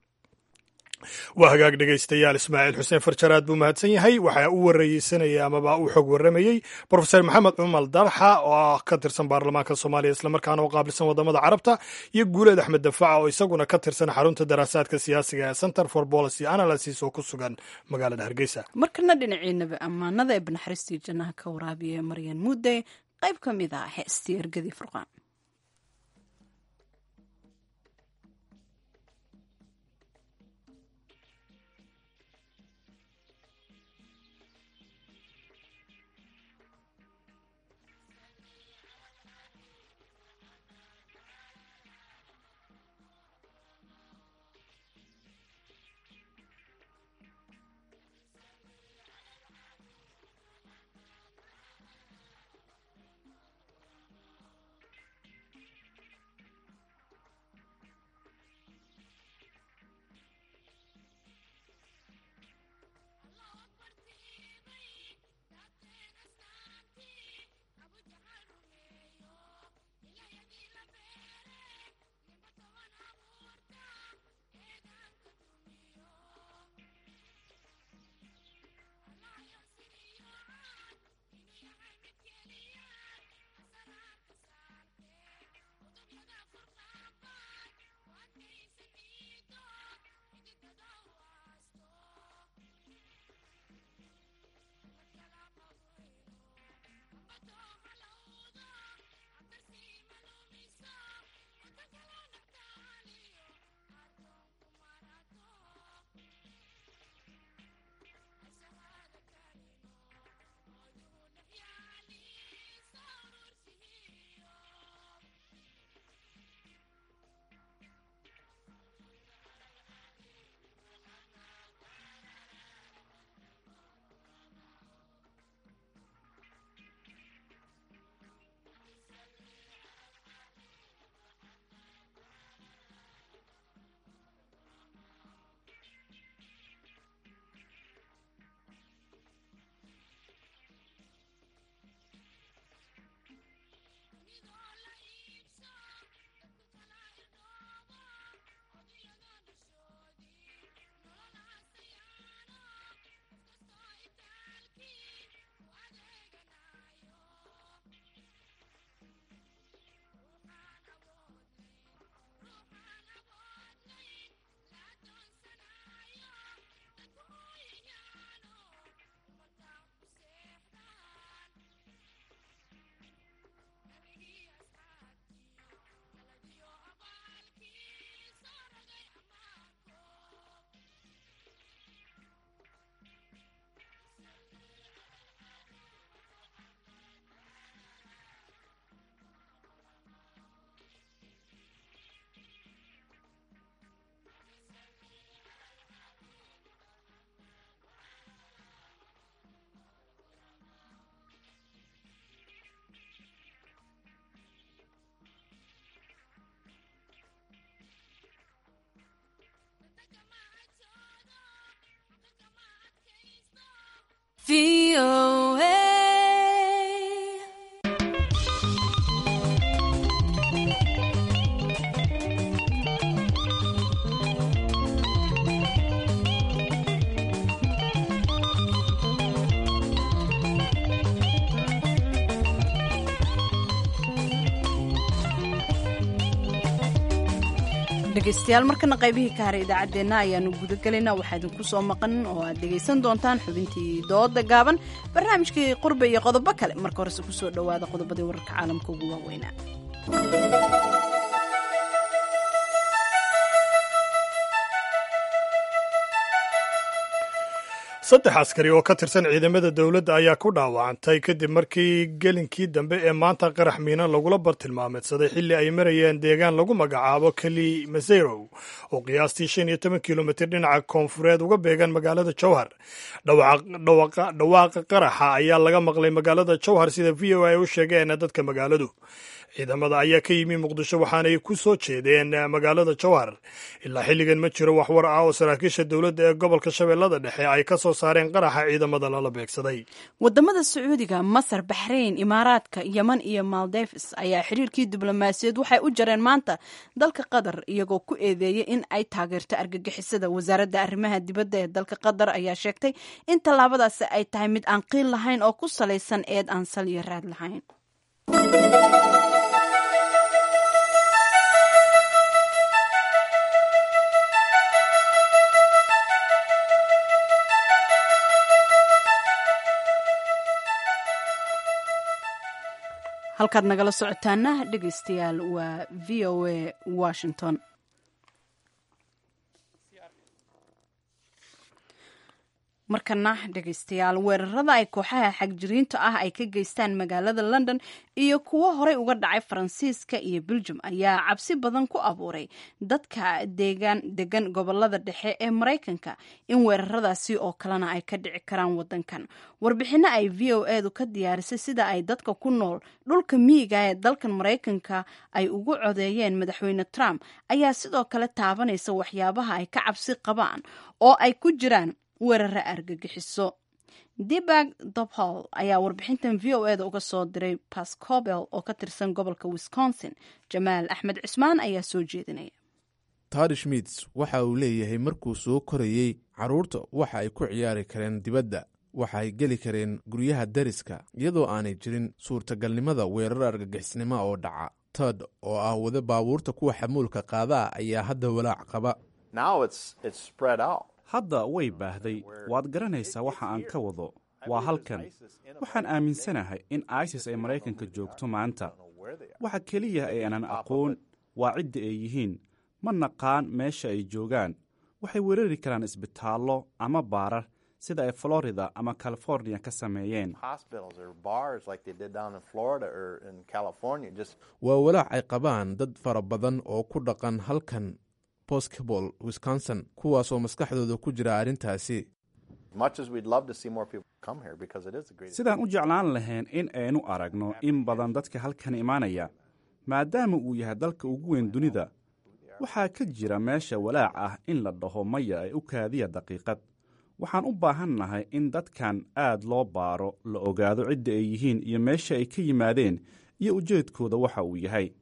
Waa hagaag dhegaystayaal, Ismaaciil Xuseen Farjaraad buu mahadsan yahay. Waxaa u wareysanaya amaba u xog warramayey Professor Maxamed Cumar Dalxa oo ah ka tirsan baarlamaanka Soomaaliya islamarkaana u qaabilsan wadamada carabta, iyo Guuleed Axmed Dafaaca oo isaguna ka tirsan xarunta daraasaadka siyaasiga ee Center for Policy Analysis oo ku sugan magaalada Hargeysa. Markana dhinaciinaba ammaanada ee banaxariistii jannaha ka waraabiya Maryan Mudde, qayb ka mid ah heestii Ergadii Furqaan. Dhegeystayaal, markana qaybihii ka haray idaacaddeenna ayaanu gudagelaynaa. Waxaa idinku soo maqan oo aad dhegaysan doontaan xubintii dooda gaaban, barnaamijkii qurbe iyo qodobo kale. Marka horese kusoo dhowaada qodobadii wararka caalamka ugu waaweynaa. Saddex askari oo ka tirsan ciidamada dowladda ayaa ku dhaawacantay kadib markii gelinkii dambe ee maanta qarax miina lagula bartilmaameedsaday xilli ay marayeen deegaan lagu magacaabo Keli Maserow oo qiyaastii shan iyo toban kilomitir dhinaca koonfureed uga beegan magaalada Jowhar. Dhawaaqa qaraxa ayaa laga maqlay magaalada Jowhar, sida V O A ay u sheegeen dadka magaaladu. Ciidamada ayaa ka yimi Muqdisho, waxaanay ku soo jeedeen magaalada Jowhar. Ilaa xilligan ma jiro wax war ah oo saraakiisha dowladda ee gobolka Shabeellada Dhexe ay ka soo saareen qaraxa ciidamada lala beegsaday. Wadamada Sacuudiga, Masar, Baxrayn, Imaaraadka, Yeman iyo Maldives ayaa xiriirkii diblomaasiyaed waxay u jareen maanta dalka Qatar, iyagoo ku eedeeyey in ay taageerto argagixisada. Wasaaradda arrimaha dibadda ee dalka Qatar ayaa sheegtay in tallaabadaasi ay tahay mid aan qiil lahayn oo ku salaysan eed aan sal iyo raad lahayn. Halkaad nagala socotaana, dhegeystayaal, waa V O A Washington. Markana, dhegeystayaal, weerarada ay kooxaha xagjiriinta ah ay ka geystaan magaalada London iyo kuwo horey uga dhacay Faransiiska iyo Beljum ayaa cabsi badan ku abuuray dadka deegaan degan gobolada dhexe ee Maraykanka in weeraradaasi oo kalena ay ka dhici karaan wadankan. Warbixino ay V O edu ka diyaarisay sida ay dadka ku nool dhulka miyiga ee dalkan Maraykanka ay ugu codeeyeen madaxweyne Trump ayaa sidoo kale taabanaysa waxyaabaha ay ka cabsi qabaan oo ay ku jiraan weerara argagixiso. Dibag Dobhol ayaa warbixintan V O eda uga soo diray Pascobel oo ka tirsan gobolka Wisconsin. Jamaal Axmed Cismaan ayaa soo jeedinaya. Tari Schmits waxa uu leeyahay markuu soo korayey, carruurta waxa ay ku ciyaari kareen dibadda, waxa ay geli kareen guryaha dariska iyadoo aanay jirin suurtagalnimada weerar argagixisnimo oo dhaca. Todd oo ah wada baabuurta kuwa xamuulka qaadaa ayaa hadda walaac qaba. Hadda way baahday, waad garanaysaa waxa aan ka wado. Waa halkan. Waxaan aaminsanahay in ISIS ay Maraykanka joogto maanta. Waxa keliya ee aanan aqoon waa cidda ay yihiin. Ma naqaan meesha ay joogaan. Waxay weerari karaan isbitaallo ama baarar sida ay Florida ama California ka sameeyeen. Waa walaac ay qabaan dad fara badan oo ku dhaqan halkan Boscobel, Wisconsin, kuwaasoo maskaxdooda ku jira arrintaasi. Sidaan u jeclaan lahayn in aynu aragno in badan dadka halkan imaanaya, maadaama uu yahay dalka ugu weyn dunida. Waxaa ka jira meesha walaac ah in la dhaho maya ay u kaadiya daqiiqad. Waxaan u baahannahay in dadkan aad loo baaro, la ogaado cidda ay yihiin iyo meesha ay ka yimaadeen iyo ujeedkooda waxa uu yahay.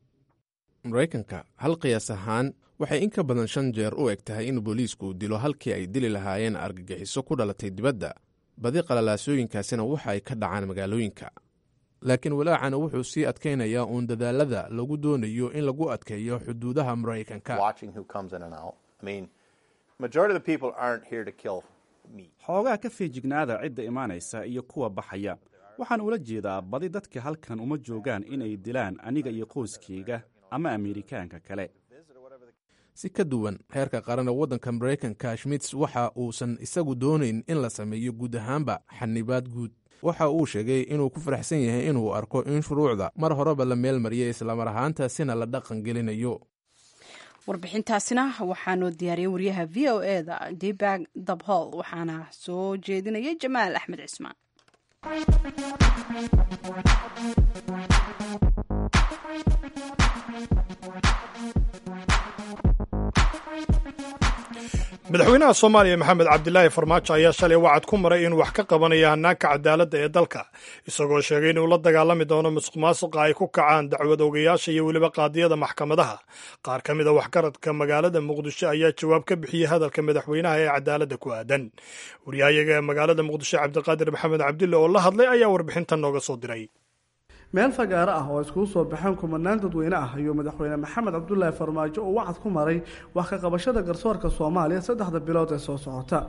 Maraykanka hal qiyaas ahaan waxay in ka badan shan jeer u eg tahay in booliisku dilo halkii ay dili lahaayeen argagixiso ku dhalatay dibadda. Badi qalalaasooyinkaasina waxa ay ka dhacaan magaalooyinka, laakiin walaacana wuxuu sii adkaynayaa uun dadaalada lagu doonayo in lagu adkeeyo xuduudaha Maraykanka. Xoogaa ka feejignaada cidda imaanaysa iyo kuwa baxaya. Waxaan ula jeedaa, badi dadka halkan uma joogaan inay dilaan aniga iyo qoyskayga ama Ameerikaanka kale. Si ka duwan heerka qaran ee waddanka Maraykanka, Schmits waxa uusan isagu doonayn in la sameeyo guud ahaanba xanibaad guud. Waxa uu sheegay inuu ku faraxsan yahay inuu arko in shuruucda mar horeba la meel mariyay, islamar ahaantaasina la dhaqan gelinayo. Warbixintaasina waxaanoo diyaariyey wariyaha V O e da Dibag Dabhol, waxaana soo jeedinayay Jamaal Axmed Cismaan. Madaxweynaha Soomaaliya Maxamed Cabdilaahi Farmaajo ayaa shalay wacad ku maray inuu wax ka qabanayo hannaanka cadaaladda ee dalka, isagoo sheegay inuu la dagaalami doono musuq maasuqa ay ku kacaan dacwad ogayaasha iyo weliba qaadiyada maxkamadaha. Qaar ka mid a waxgaradka magaalada Muqdisho ayaa jawaab ka bixiyey hadalka madaxweynaha ee cadaaladda ku aadan. Wariyahayaga magaalada Muqdisho Cabdiqaadir Maxamed Cabdille oo la hadlay ayaa warbixintan nooga soo diray. Meel fagaaro ah oo iskugu soo baxeen kumanaan dadweyne ah ayuu madaxweyne Maxamed Cabdulaahi Farmaajo uu wacad ku maray wax ka qabashada garsoorka Soomaaliya saddexda bilood ee soo socota.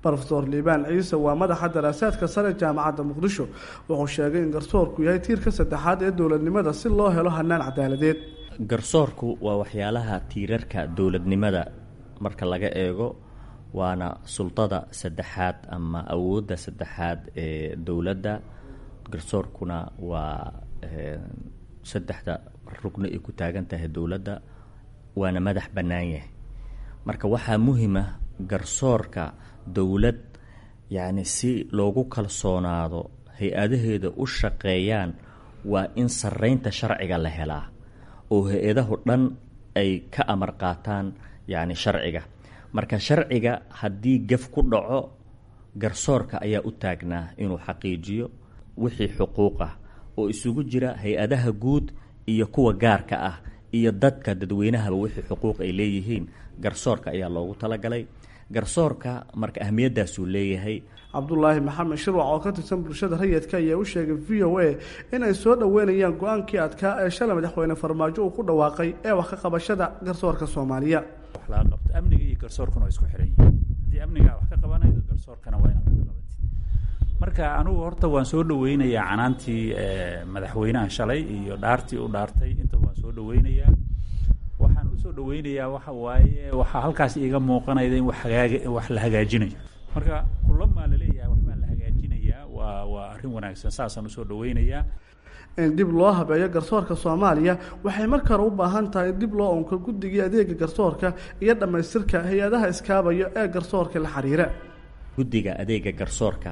Brofesor Liibaan Ciise waa madaxa daraasaadka sare Jaamacadda Muqdisho. Wuxuu sheegay in garsoorku yahay tiirka saddexaad ee dowladnimada si loo helo hanaan cadaaladeed. Garsoorku waa waxyaalaha tiirarka dowladnimada marka laga eego, waana sultada saddexaad ama awoodda saddexaad ee dowladda. Garsoorkuna waa saddexda rugni ay ku taagan tahay dowladda, waana madax bannaan yahay. Marka waxaa muhiima garsoorka dowlad yacni si loogu kalsoonaado hay-adaheeda u shaqeeyaan waa in sarreynta sharciga la helaa oo hay-adahu dhan ay ka amar qaataan yacni sharciga. Marka sharciga haddii gaf ku dhaco, garsoorka ayaa u taagnaa inuu xaqiijiyo wixii xuquuq ah oo isugu jira hay-adaha guud iyo kuwa gaarka ah iyo dadka dadweynahaba wixii xuquuq ay leeyihiin garsoorka ayaa loogu talagalay. Garsoorka marka ahmiyaddaasuu leeyahay. Cabdulaahi Maxamed Shirwac oo ka tirsan bulshada rayidka ayaa u sheegay V O A inay soo dhoweynayaan go-aankii adkaa ee shalay madaxweyne Farmaajo uu ku dhawaaqay ee wax ka qabashada garsoorka Soomaaliya. Wax laga qabto amniga iyo garsoorkuna waa isku xiran yihiin. Haddii amniga wax ka qabanaydo, garsoorkana waa inaad wax ka qabatid. Marka anigu horta waan soo dhoweynayaa canaantii madaxweynaha shalay iyo dhaartii u dhaartay, intaba waan soo dhoweynayaa. Waxaan usoo dhaweynayaa waxa waaye waxaa halkaas iiga muuqanayda in wax hagaag wax la hagaajinayo. Marka kulamaa laleeyahay waxbaa la hagaajinayaa, waa waa arrin wanaagsan, saasaan usoo dhaweynayaa. In dib loo habeeyo garsoorka Soomaaliya waxay marka hore u baahan tahay in dib loo unko guddigii adeega garsoorka iyo dhammaystirka hay-adaha iskaabaya ee garsoorka la xiriira. Guddiga adeega garsoorka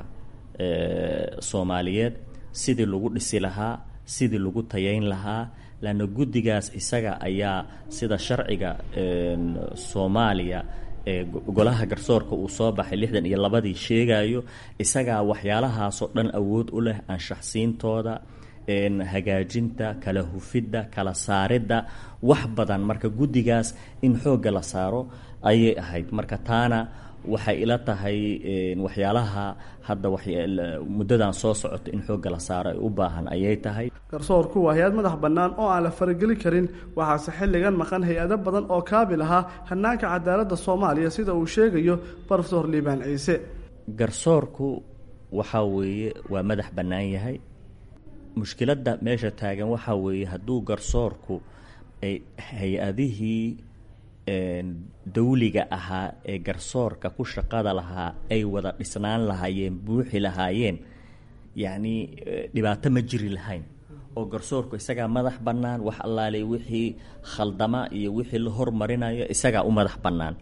Soomaaliyeed sidii lagu dhisi lahaa, sidii lagu tayayn lahaa, laanna guddigaas isaga ayaa sida sharciga Soomaaliya ee golaha garsoorka uu soo baxay lixdan iyo labadii sheegayo, isagaa waxyaalahaasoo dhan awood u leh anshaxsiintooda, hagaajinta, kala hufidda, kala saaridda, wax badan. Marka guddigaas in xoogga la saaro ayay ahayd. Marka taana waxay ila tahay waxyaalaha hadda muddadan soo socota in xoogga la saaro ay u baahan ayay tahay. Garsoorku waa hay-ad madax bannaan oo aan la farageli karin, waxaase xilligan maqan hay-ado badan oo kaabil ahaa hannaanka cadaaladda Soomaaliya sida uu sheegayo Brofesor Liibaan Ciise. Garsoorku waxaa weeye waa madax bannaan yahay. Mushkiladda meesha taagan waxaa weeye hadduu garsoorku ay hay-adihii dawliga ahaa ee garsoorka ku shaqada lahaa ay wada dhisnaan lahaayeen, buuxi lahaayeen, yacni dhibaato ma jiri lahayn. Oo garsoorku isagaa madax bannaan, wax allaalay wixii khaldama iyo wixii la hormarinayo isagaa u madax bannaan.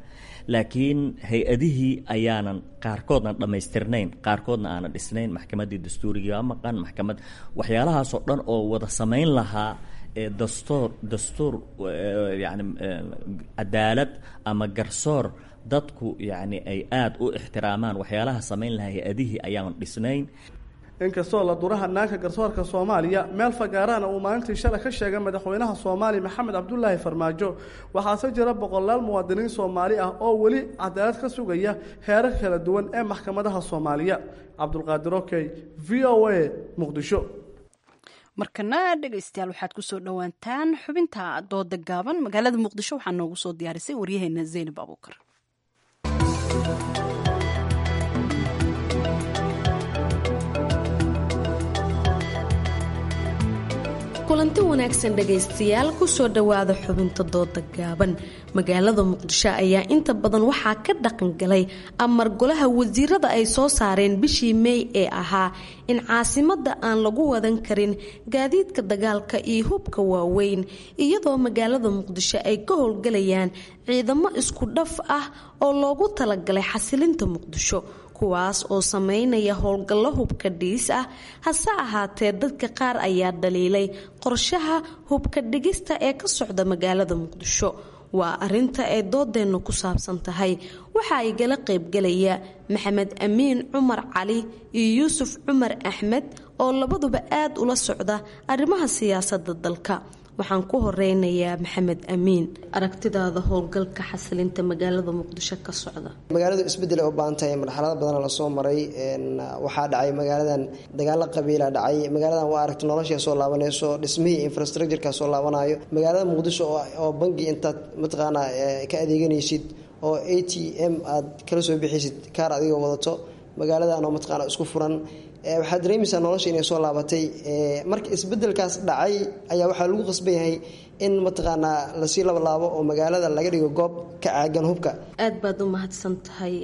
Laakiin hay-adihii ayaanan qaarkoodna dhammaystirnayn, qaarkoodna aanan dhisnayn. Maxkamaddii dastuurigii baa maqan, maxkamad waxyaalahaasoo dhan oo wada samayn lahaa ee dastuur dastuur yacni cadaalad ama garsoor dadku yacni ay aada u ixtiraamaan, waxyaalaha samayn lahaa hay-adihii ayaanan dhisnayn. Inkastoo la dura hanaanka garsoorka Soomaaliya meel fagaarahana uu maalintii shalay ka sheegay madaxweynaha Soomaaliya Maxamed Cabdulaahi Farmaajo, waxaase jira boqolaal muwaadiniin Soomaali ah oo weli cadaalad ka sugaya heerar kala duwan ee maxkamadaha Soomaaliya. Cabdulqaadir Okey, V O A, Muqdisho. Markana dhegeystayaal waxaad kusoo dhowaantaan xubinta dooda gaaban. Magaalada Muqdisho waxaa noogu soo diyaarisay waryaheena Zaynab Abuukar. Kulanti wanaagsan dhegaystayaal, kusoo dhowaada xubinta dooda gaaban. Magaalada Muqdisho ayaa inta badan waxaa ka dhaqangalay amar golaha wasiirada ay soo saareen bishii Meey ee ahaa in caasimada aan lagu wadan karin gaadiidka dagaalka iyo hubka waaweyn, iyadoo magaalada Muqdisho ay ka howlgalayaan ciidamo isku dhaf ah oo loogu talagalay xasilinta Muqdisho, kuwaas oo sameynaya howlgallo hubka dhigis ah. Hase ahaatee, dadka qaar ayaa dhaliilay qorshaha hubka dhigista ee ka socda magaalada Muqdisho. Waa arinta ay doodeennu ku saabsan tahay. Waxa ay gala qaybgalaya Maxamed Amiin Cumar Cali iyo Yuusuf Cumar Axmed oo labaduba aad ula socda arrimaha siyaasadda dalka. Waxaan ku horeynayaa Maxamed Amiin, aragtidaada howlgalka xasilinta magaalada Muqdisho ka socda. Magaaladu isbedel ay u baahan tahay, marxalado badana lasoo maray. Waxaa dhacay magaaladan dagaalo qabiila dhacay. Magaaladan waa aragti nolosha soo laabanayso, dhismihii infrastructureka soo laabanayo. Magaalada Muqdisho oo bangi intaad mataqaanaa ka adeeganaysid oo A T M aad kala soo bixisid kaar adigoo wadato, magaaladan oo mataqaana isku furan, waxaad dareemaysaa nolosha inay soo laabatay. Marka isbedelkaas dhacay ayaa waxaa lagu qasban yahay in mataqaanaa lasii labalaabo oo magaalada laga dhigo goob ka caagan hubka. Aad baad u mahadsan tahay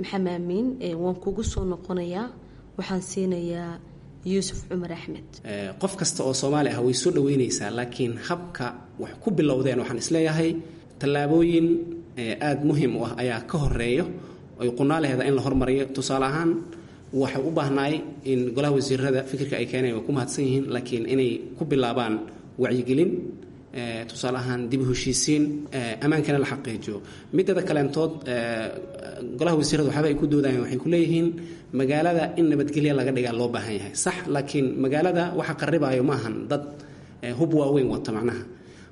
Maxamed Amiin, waan kugu soo noqonayaa. Waxaan siinayaa Yuusuf Cumar Axmed. Qof kasta oo Soomaali ah way soo dhaweynaysaa, laakiin habka wax ku bilowdeen waxaan isleeyahay tallaabooyin aada muhiim u ah ayaa ka horeeyo ay qunaalaheeda in la hormariyo. Tusaale ahaan, waxay u baahnaay in golaha wasiirada fikirka ay keeneen way ku mahadsan yihiin, laakiin inay ku bilaabaan wacyigelin, tusaale ahaan dib u heshiisiin, ammaankana la xaqiijiyo. Midada kaleentood, golaha wasiirada waxaaba ay ku doodayaan, waxay ku leeyihiin magaalada in nabadgelya laga dhigaa loo baahan yahay, sax, laakiin magaalada waxa qarribaayo maahan dad hub waaweyn wata macnaha.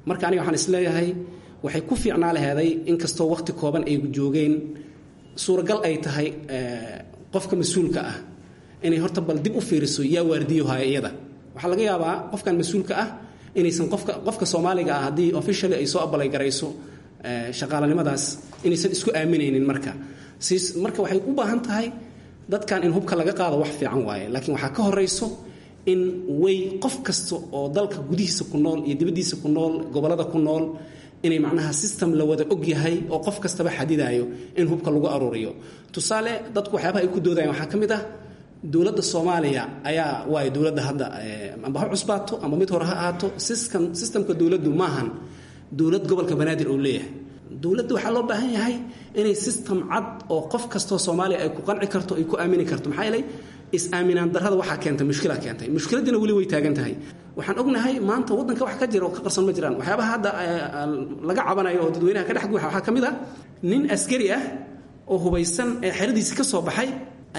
Marka aniga waxaan isleeyahay waxay ku fiicnaa laheeday, inkastoo waqti kooban ay joogeen, suuragal ay tahay qofka mas-uulka ah inay horta bal dib u fiiriso yaa waardiyo haya iyada. Waxaa laga yaabaa qofkan mas-uulka ah inaysan qofka qofka Soomaaliga ah haddii officially ay soo abalay garayso shaqaalanimadaas inaysan isku aaminaynin. Marka siis marka waxay u baahan tahay dadkan in hubka laga qaado wax fiican waaye, laakiin waxaa ka horeyso in way qof kasta oo dalka gudihiisa ku nool iyo dibaddiisa ku nool, gobollada ku nool, inay macnaha system la wada og yahay oo qof kastaba xadidayo in hubka lagu aruuriyo. Tusaale, dadku waxyaabaha ay ku doodayaan waxaa ka mid ah dowladda Soomaaliya ayaa waayo dowladda hadda amba ha cusbaato amba mid hore ha ahaato, system systemka dowladdu maahan dowlad gobolka Banaadir uu leeyahay. Dowladda waxaa loo baahan yahay inay system cad oo qof kastoo Soomaaliya ay ku qanci karto, ay ku aamini karto. Maxaa yeelay is-aaminaan darrada waxaa keentay mushkila keentay, mushkiladiina weli way taagan tahay. Waxaan ognahay maanta waddanka wax ka jira oo ka qarsoon ma jiraan. Waxyaabaha hadda laga cabanayo oo dadweynaha ka dhex guuxa waxaa ka mid ah nin askari ah oo hubaysan ee xeradiisi ka soo baxay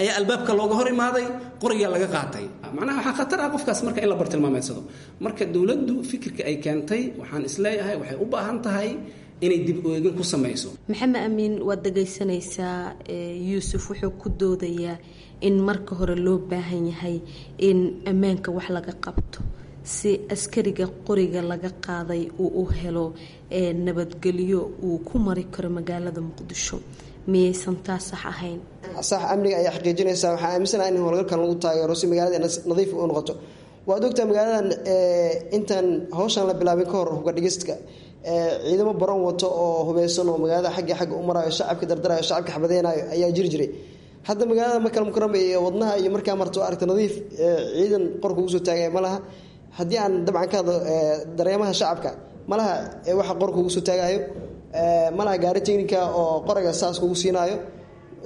ayaa albaabka looga hor imaaday, qorigaa laga qaatay. Macnaha waxaa khatar ah qofkaas marka in la bartilmaameedsado. Marka dowladdu fikirka ay keentay waxaan isleeyahay waxay u baahan tahay inay dib u eegin ku samayso. Maxamed Amiin, waad dhagaysanaysaa Yuusuf wuxuu ku doodayaa in marka hore loo baahan yahay in ammaanka wax laga qabto si askariga qoriga laga qaaday uu u helo nabadgelyo uu ku mari karo magaalada Muqdisho. Miyaysan taa sax ahayn? Sax, amniga ayaa xaqiijinaysaa. Waxaa aaminsanaha in howlgalkan lagu taageero si magaalada nadiif u noqoto. Waad ogtaa magaaladan intaan hawshan la bilaabin ka hor hubka dhigistka ciidamo baron wato oo hubeysan oo magaalada xagga xagga u maraayo, shacabka dardarayo, shacabka xabadeynayo ayaa jiri jiray. Hadda magaalada Makal Mukarama iyo wadnaha iyo markaa marto aragta nadiif, ciidan qorka ugu soo taagaya ma laha. Haddii aan dabcan ka hadlo dareemaha shacabka, malaha waxa qorka ugu soo taagayo, malaha gaari technica oo qoraga saas kugu siinaayo.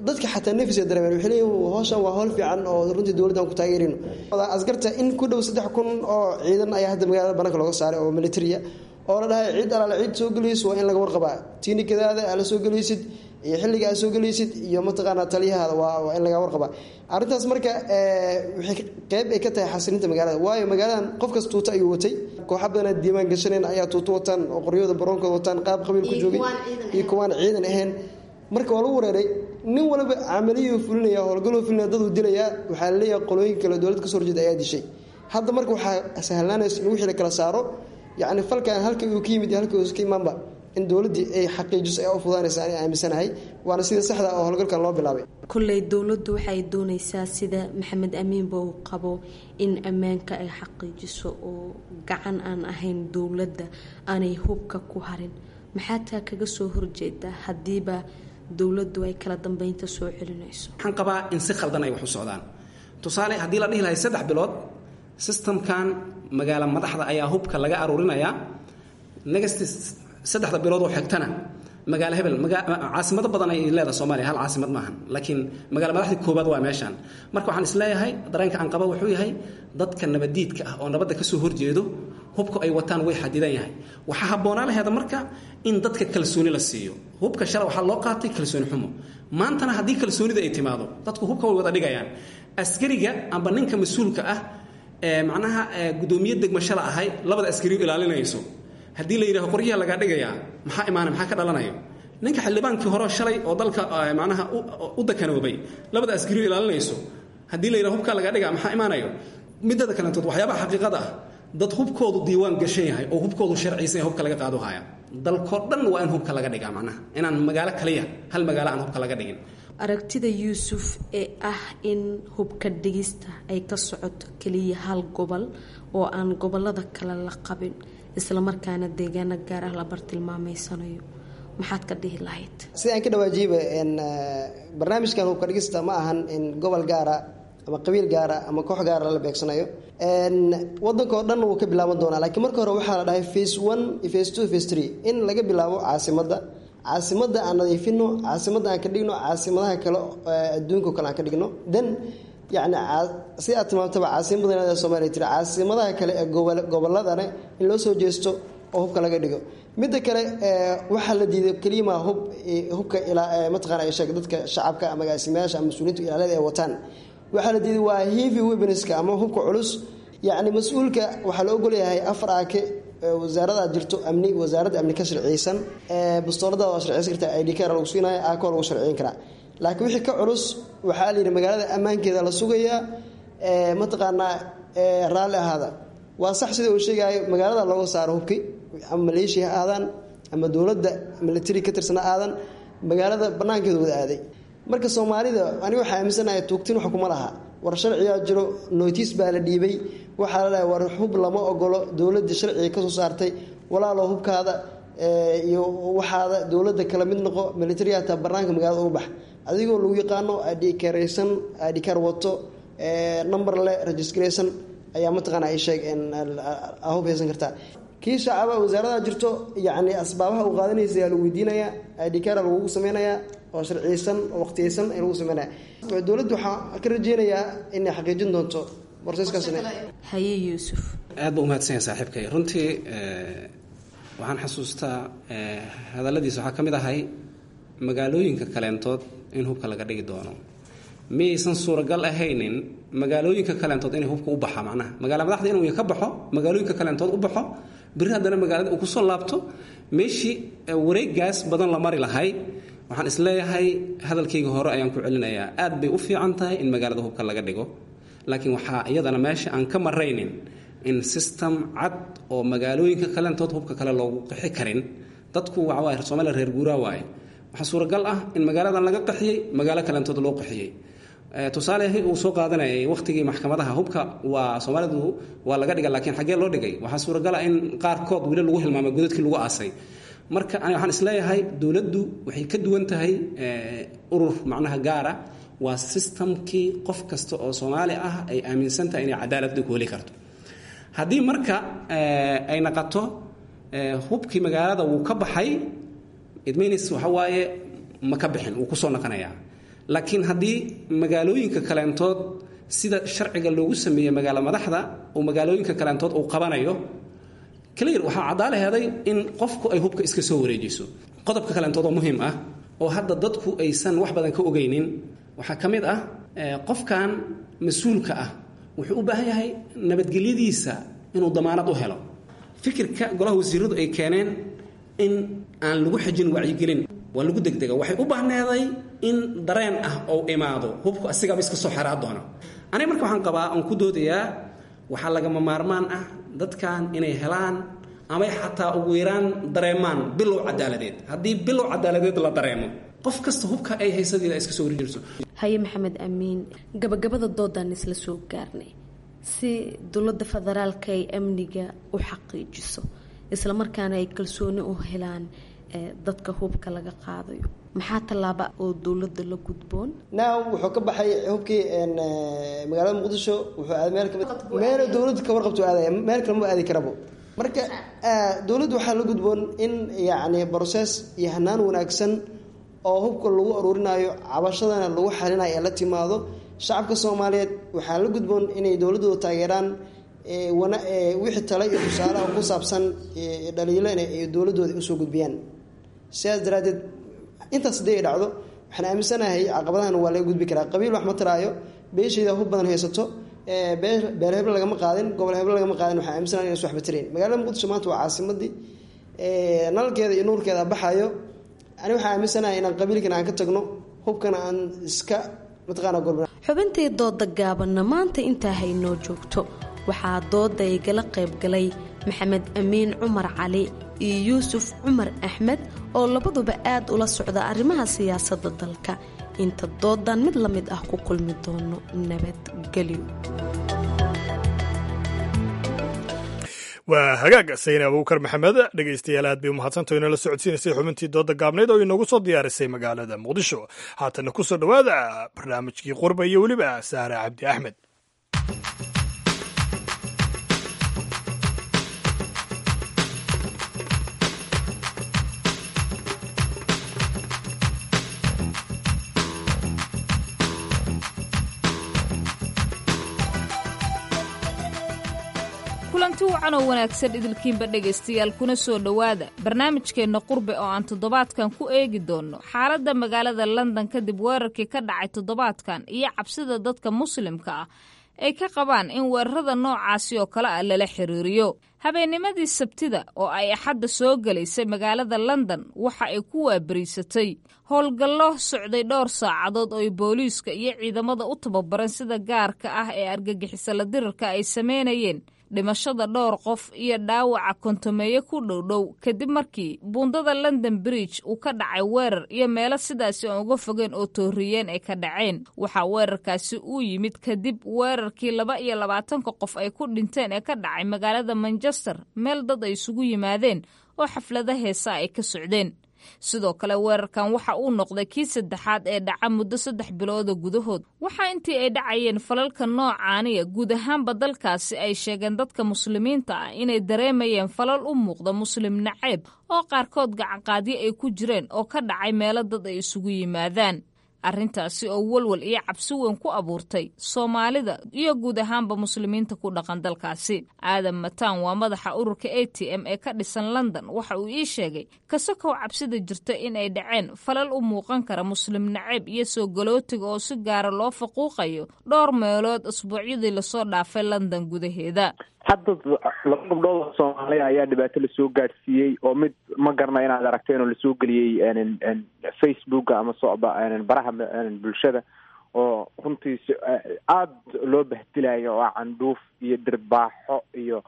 Dadka xataa nafis ay dareemeen, waxay leeyihiin hawshan waa hawl fiican oo runtii dowladdan ku taageerino. Askarta in ku dhow saddex kun oo ciidan ayaa hadda magaalada bannaanka looga saaray oo militariya oo la dhahay ciid alaale ciid soo gelayso waa in laga warqabaa, tiinikadaada aad la soo gelaysid iyo xilliga aad soo gelaysid iyo mataqaanaa taliyahaada waa waa in laga warqabaa arrintaas. Marka waxay qeyb ay ka tahay xasilinta magaalada, waayo magaaladan qof kasta tuuta ayuu watay. Kooxa badanaa diiwaan gashaneen ayaa tuuto wataan oo qoryahooda baroonkooda wataan, qaab qabiil ku joogay iyo kuwaan ciidan ahayn. Marka waa lagu wareeray, nin waliba camaliyuu fulinaya, howlgaluu fulinaya, daduu dilayaa. Waxaa laleeyahay qolooyin kale dowlad kasoo horjeeda ayaa dishay. Hadda marka waxaa sahlaanaysa in wixii la kala saaro, yacni falkan halka uu ka yimid iyo halka uusa ka imaanba In dowladdii ay xaqiijiso ayaa u fudaanaysa ani aaminsanahay, waana sida saxda oo howlgalkan loo bilaabay. Kolley dowladdu waxay doonaysaa, sida Maxamed Amiinba uu qabo, in ammaanka ay xaqiijiso oo gacan aan ahayn dowladda aanay hubka ku harin. Maxaa taa kaga soo horjeedaa haddiiba dowladdu ay kala dambeynta soo celinayso? Waxaan qabaa in si khaldan ay wax u socdaan. Tusaale, haddii la dhihi lahay saddex bilood systemkan magaala madaxda ayaa hubka laga aruurinayaa, next saddexda bilood oo xigtana magaalo hebel, caasimado badan ay leedahay Soomaaliya, hal caasimad maahan, laakiin magaalo madaxda koobaad waa meeshaan. Marka waxaan isleeyahay, dareenka aan qaba wuxuu yahay, dadka nabadiidka ah oo nabadda kasoo horjeedo hubka ay wataan way xadidan yahay. Waxaa habboonaa laheeda marka in dadka kalsooni la siiyo. Hubka shalay waxaa loo qaatay kalsooni xumo, maantana haddii kalsoonida ay timaado dadku hubka way wada dhigayaan. Askariga amba ninka mas-uulka ah ee macnaha guddoomiye degmo shala ahay labada askariyu ilaalinayso, haddii la yidhaho qoryaha lagaa dhigayaa, maxaa imaanay? Maxaa ka dhalanayo? Ninka xildhibaankii hore shalay oo dalka macnaha u dakanoobay labada askariyu ilaalinayso, haddii la yidhaho hubkaa lagaa dhigaa, maxaa imaanayo? Midada kalentood, waxyaabaha xaqiiqada ah, dad hubkoodu diiwaan gashan yahay oo hubkoodu sharciysan yahay hubka laga qaado haya. Dalkoo dhan waa in hubka laga dhigaa, macnaha inaan magaalo kaliya, hal magaalo aan hubka laga dhigin. Aragtida Yuusuf ee ah in hubka dhigista ay ka socoto keliya hal gobol oo aan gobolada kale la qabin, islamarkaana deegaano gaar ah la bartilmaameysanayo, maxaad ka dhihi lahayd? Sida aan ka dhawaajiyba, barnaamijkan hubka dhigista ma ahan in gobol gaara ama qabiil gaara ama koox gaara la beegsanayo. Wadanka oo dhan wuu ka bilaaban doonaa, laakiin marka hore waxaa la dhahay phase one, phase two, phase three, in laga bilaabo caasimadda. Caasimadda aan nadiifino, caasimadda aan ka dhigno caasimadaha kale adduunka o kale aan ka dhigno. Then yacni si aad tilmaamtaba, caasimada Soomaaliya tiri, caasimadaha kale ee gobo gobolladana in loo soo jeesto oo hubka laga dhigo. Midda kale, waxaa la diiday keliyama hub hubka ilaa mataqaana ay sheeg dadka shacabka ama agaasimayaasha ama mas-uuliyiinta ilaalada ay wataan. Waxaa la diiday waa heavy weaponska ama hubka culus. Yacni mas-uulka waxaa la ogolyahay afar aake, wasaarada jirto amni, wasaaradda amni ka sharciyeysan, bastooladaada waa sharciyeysan kartaa, I D card lagu siinaya, aako lagu sharciyin karaa. Laakiin wixii ka culus waxaa la yidhi magaalada ammaankeeda la sugayaa, mataqaanaa raalli ahaada. Waa sax sida uu sheegayo, magaalada looga saaro hubki, ama maleeshiya ha aadaan ama dowladda military ka tirsana aadan, magaalada banaankeeda wada aaday. Marka Soomaalida aniga waxaa aaminsanahay tuugtin wax kuma laha. War sharciyaa jiro, notice baa la dhiibay, waxaa la dhahay war hub lama ogolo, dowladda sharciga kasoo saartay. Walaalo, hubkaada iyo waxaada dowladda kala mid noqo, military hataa banaanka magaalada uga bax adigoo lagu yaqaano adhikaraysan, adhikar wato, number le registraysan ayaa mataqaana ay sheeg hub haysan kartaa. Kii shacaba wasaarada jirto, yacni asbaabaha uu qaadanaysa ayaa lagu weydiinayaa, adhikara lagugu sameynayaa oo sharciyeysan oo waqtiyeysan ay lagu sameynaya. Dowladdu waxaa ka rajeynayaa inay xaqiijin doonto borseskaasina. Haye Yuusuf. Aad baa umahadsan yahay saaxiibkay. Runtii waxaan xasuustaa hadalladiisa waxaa ka mid ahay magaalooyinka kaleentood in hubka laga dhigi doono. Miyaysan suuragal ahaynin magaalooyinka kaleentood inay hubka u baxa, macnaha magaala madaxda inuu ka baxo, magaalooyinka kaleentood u baxo, berri haddana magaalada uu kusoo laabto, meeshii wareegaas badan la mari lahay? Waxaan isleeyahay, hadalkayga hore ayaan ku celinayaa, aad bay u fiican tahay in magaalada hubka laga dhigo, laakiin waxaa iyadana meesha aan ka maraynin in system cad oo magaalooyinka kaleentood hubka kale loogu qixi karin. Dadku waxa waaye Soomaaliya reer guuraa waaye. Waxaa suuragal ah in magaaladan laga qaxiyey, magaalo kaleentood loo qaxiyey. Tusaale uu soo qaadanayay waqtigii maxkamadaha hubka waa Soomaalidu waa laga dhigay, laakiin xaggee loo dhigay? Waxaa suuragal ah in qaarkood weli lagu hilmaamay godadkii lagu aasay. Marka ani waxaan isleeyahay dowladdu waxay ka duwan tahay urur macnaha gaara, waa systemkii qof kasta oo Soomaali ah ay aaminsan tahay inay cadaaladda ku heli karto. Haddii marka ay naqato hubkii magaalada wuu ka baxay, it means waxa waaye ma ka bixin, wuu kusoo naqanayaa. Laakiin haddii magaalooyinka kaleentood sida sharciga loogu sameeyey magaalo madaxda oo magaalooyinka kaleentood uu qabanayo, clear waxaa caddaala heeday in qofku ay hubka iska soo wareejiso. Qodobka kaleentood oo muhiim ah oo hadda dadku aysan wax badan ka ogeynin waxaa ka mid ah, qofkan mas-uulka ah wuxuu u baahan yahay nabadgelyadiisa inuu damaanad u helo. Fikirka golaha wasiiradu ay keeneen in aan lagu xijin wacyigelin waa lagu degdega. Waxay u baahneeday in dareen ah oo imaado, hubku asigaba iska soo xeraa doona. Aniga marka waxaan qabaa oon ku doodayaa, waxaa lagama maarmaan ah dadkan inay helaan Amay xataa ugu yaraan dareemaan bilow cadaaladeed. Haddii bilow cadaaladeed la dareemo, qof kasta hubka ay haysadeeda iska soo warijirso. Haye Maxamed Amiin, gabagabada doodaan isla soo gaarnay. Si dowladda federaalka ay amniga u xaqiijiso, islamarkaana ay kalsooni u helaan dadka hubka laga qaadayo, maxaa tallaaba oo dowladda la gudboon? Now wuxuu ka baxay hubkii magaalada Muqdisho, wuxuu aaday meel kamid meel dowladda ka warqabto aadaya, meel kale ma aadi karabo. Marka dowladdu waxaa la gudboon in yacni process iyo hanaan wanaagsan oo hubka lagu aruurinayo, cabashadana lagu xalinayo ee la timaado. Shacabka Soomaaliyeed waxaa la gudboon inay dowladdooda taageeraan, wana wixii tale iyo tusaalaha ku saabsan dhaliilo in ay dowladdooda usoo gudbiyaan. Sidaas daraaddeed, intaas haddii ay dhacdo, waxaan aaminsanahay caqabadahan waa laga gudbi karaa. Qabiil wax ma taraayo, beeshayda hub badan haysato, beel heblo lagama qaadin, gobol heblo lagama qaadin, waxaan aaminsanahay inaysan waxba tarayn. Magaalada Muqdisho maanta waa caasimadii, nalalkeeda iyo nuurkeeda baxayo. Ani waxaan aaminsanahay inaan qabiilkana aan ka tagno, hubkana aan iska mataqaana gorbina. Xubintii dooda gaabanna maanta intaa haynoo joogto. Waxaa dooda igala qayb galay Maxamed Amiin Cumar Cali iyo Yuusuf Cumar Axmed oo labaduba aad ula socda arrimaha siyaasadda dalka. Inta doodan mid la mid ah ku kulmi doono, nabadgelyo. Waa hagaag, Sayne Abuukar Maxamed. Dhegeystayaal, aad bay umahadsantaho inala socodsiinaysay xubintii dooda gaabnayd oo inoogu soo diyaarisay magaalada Muqdisho. Haatana kusoo dhowaada barnaamijkii Qurba iyo weliba Saare Cabdi Axmed. Kulanti wacan oo wanaagsan idilkiinba dhegaystayaal, kuna soo dhowaada barnaamijkeenna Qurbe oo aan toddobaadkan ku eegi doonno xaaladda magaalada London kadib weerarkii ka dhacay toddobaadkan iyo cabsida dadka muslimka ah ay ka qabaan in weerarada noocaasi oo kale ah lala xiriiriyo. Habeennimadii Sabtida oo ay Axadda soo gelaysay, magaalada London waxa ay ku waabariisatay howlgallo socday dhowr saacadood oo ay booliiska iyo ciidamada u tababaran sida gaarka ah ee argagixisa la dirirka ay sameynayeen, dhimashada dhowr qof iyo dhaawaca kontomeeye ku dhowdhow, kadib markii buundada London Bridge uu ka dhacay weerar iyo meelo sidaasi aan uga fogeen oo tooriyeen ay ka dhaceen. Waxaa weerarkaasi uu yimid kadib weerarkii laba iyo labaatanka qof ay ku dhinteen ee ka dhacay magaalada Manchester, meel dad ay isugu yimaadeen oo xaflada heesa ay ka socdeen. Sidoo kale weerarkan waxa uu noqday kii saddexaad ee dhaca muddo saddex bilooda gudahood. Waxaa intii ay dhacayeen falalka noocaaniya guud ahaanba dalkaasi ay sheegeen dadka muslimiinta ah inay dareemayeen falal u muuqda muslim naceeb oo qaarkood gacanqaadyo ay ku jireen oo ka dhacay meelo dad ay isugu yimaadaan, arrintaasi oo walwal iyo cabsi weyn ku abuurtay Soomaalida iyo guud ahaanba muslimiinta ku dhaqan dalkaasi. Aadan Mataan waa madaxa ururka A T M ee ka dhisan London. Waxa uu ii sheegay kasakow cabsida jirta in ay dhaceen falal u muuqan kara muslim naceeb iyo soo galootiga oo si gaara loo faquuqayo dhowr meelood asbuucyadii lasoo dhaafay London gudaheeda. Hadda laba gabdhood oo Soomaaliya ayaa dhibaato lasoo gaadhsiiyey, oo mid ma garana inaad aragteen oo lasoo geliyey Facebooka ama soba baraha bulshada, oo runtii aada loo bahdilayo, oo candhuuf iyo dhirbaaxo iyo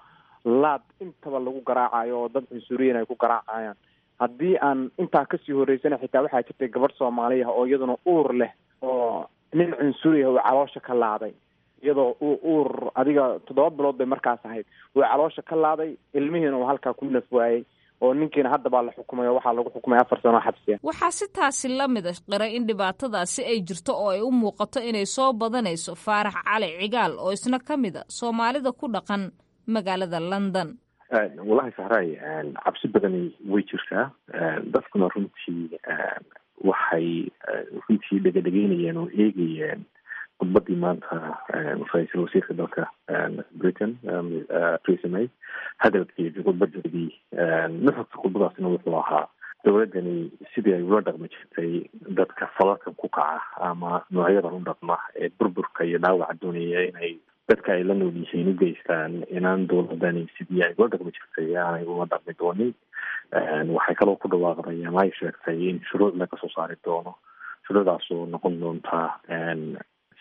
laad intaba lagu garaacayo, oo dad cunsuriyin ay ku garaacayaan. Haddii aan intaa kasii horeysana, xitaa waxaa jirtay gabadh Soomaaliya oo iyaduna uur leh oo nin cunsuriya uu caloosha ka laaday, iyadoo uu uur adiga toddoba bilood bay markaas ahayd, uu caloosha ka laaday, ilmihiina uu halkaa ku naf waayey, oo ninkiina hadda baa la xukumay oo waxaa lagu xukumay afar sano xabsiya. Waxaa si taasi la mid a qiray in dhibaatadaasi ay jirto oo ay u muuqato inay soo badanayso Faarax Cali Cigaal oo isna ka mid a Soomaalida ku dhaqan magaalada London. Wallahi Sahraay, cabsi badani way jirtaa. Dadkuna runtii waxay runtii dhegadhegeynayeen oo eegayeen khudbadii maanta ra-iisul wasiirka dalka Britain Theresa May, hadalkeedii, khudbadeedii. Nuxurka khudbadaasina wuxuu ahaa dowladdani sidii ay ula dhaqmi jirtay dadka falalkan ku kaca ama noocyadan u dhaqma ee burburka iyo dhaawaca doonaya inay dadka ay la nool yihiin u geystaan, inaan dowladani sidii ay ula dhaqmi jirtay aanay ula dhaqmi doonin. Waxay kaloo ku dhawaaqday ama ay sheegtay in shuruuc laga soo saari doono, shuruucdaas oo noqon doonta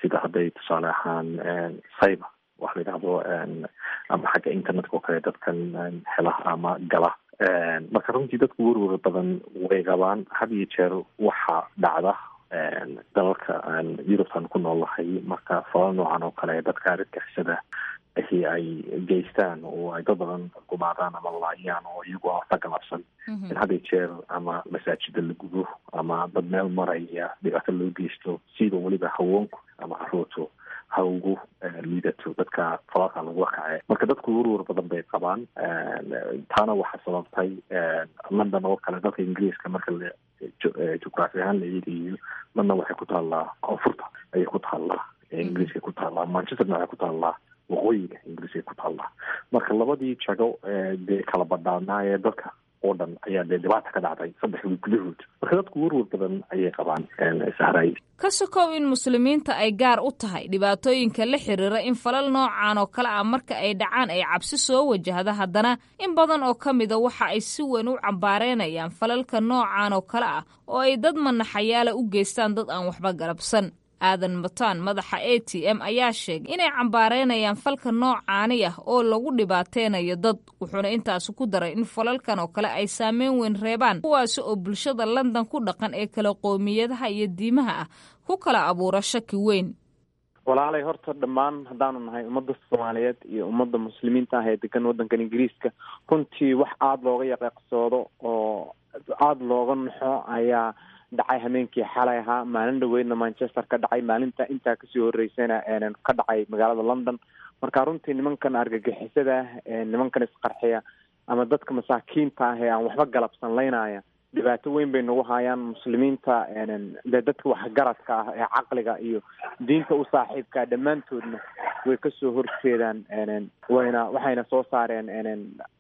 sida hadday tusaale ahaan cyber wax la yidhaahdo ama xagga internetka oo kale dadkan hela ama gala. Marka runtii dadku werwer badan way qabaan. Had iyo jeer waxa dhacda dalalka aan Yurubtan ku noolnahay, marka falal noocan oo kale dadka argagixisada ahi ay geystaan oo ay dad badan gumaadaan ama laayaan oo iyagu aan waxba galabsan, in had iyo jeer ama masaajida la gubo ama dad meel maraya dhibaato loo geysto, siiba weliba haweenku ama caruurtu ha ugu liidato dadka falalka lagu kace. Marka dadku werwer badan bay qabaan. Taana waxaa sababtay London oo kale, dalka Ingiriiska marka la jugraafi ahaan la eegayo, London waxay ku taallaa koonfurta ayay ku taallaa Ingiriiska ku taallaa, Manchesterna waxay ku taallaa waqooyiga Ingiriiska ku taallaa. Marka labadii jago dee kala badhaanaa ee dalka oo dhan ayaa dee dhibaata ka dhacday saddex wiil gudahood. Marka dadku werwer badan ayay qabaan, Sahray. Ka sokow in muslimiinta ay gaar u tahay dhibaatooyinka la xiriira in falal noocan oo kale ah marka ay dhacaan ay cabsi soo wajahda, haddana in badan oo ka mida waxa ay si weyn u cambaareynayaan falalka noocan oo kale ah oo ay dad manaxayaala u geystaan dad aan waxba galabsan. Aadan Mataan, madaxa A T M, ayaa sheegay inay cambaareynayaan falka noocaani ah oo lagu dhibaateynayo dad, wuxuuna intaasi ku daray in falalkan oo kale ay saameyn weyn reebaan, kuwaasi oo bulshada London ku dhaqan ee kala qoomiyadaha iyo diimaha ah ku kala abuura shaki weyn. Walaalay, horta dhammaan haddaanu nahay ummadda Soomaaliyeed iyo ummadda muslimiinta ah ee degan waddankan Ingiriiska, runtii wax aada looga yaqeeqsoodo oo aada looga naxo ayaa dhacay hameenkii xalay ahaa. Maalin dhaweydna Manchester ka dhacay, maalinta intaa kasii horeysayna ka dhacay magaalada London. Marka runtii nimankan argagixisada ah, nimankan isqarxiya ama dadka masaakiinta ah ee aan waxba galabsan laynaya, dhibaato weyn bay nagu hayaan muslimiinta. Dee dadka waxgaradka ah ee caqliga iyo diinta u saaxiibkaa dhammaantoodna way kasoo horjeedaan, wayna waxayna soo saareen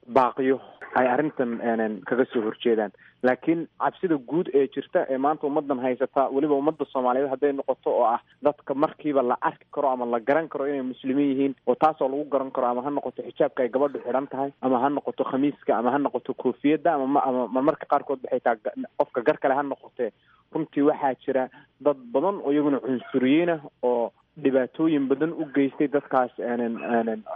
baaqiyo ay arrintan kaga soo horjeedaan. Laakiin cabsida guud ee jirta ee maanta ummadan haysata, weliba ummadda Soomaaliyeed hadday noqoto, oo ah dadka markiiba la arki karo ama la garan karo inay muslimiin yihiin, oo taasoo lagu garan karo ama ha noqoto xijaabka ay gabadhu xidhan tahay, ama ha noqoto khamiiska, ama ha noqoto koofiyadda, ama ama marmarka qaarkood waxay taa qofka gar kale ha noqotee, runtii waxaa jira dad badan oo iyaguna cunsuriyiin ah oo dhibaatooyin badan u geystay dadkaas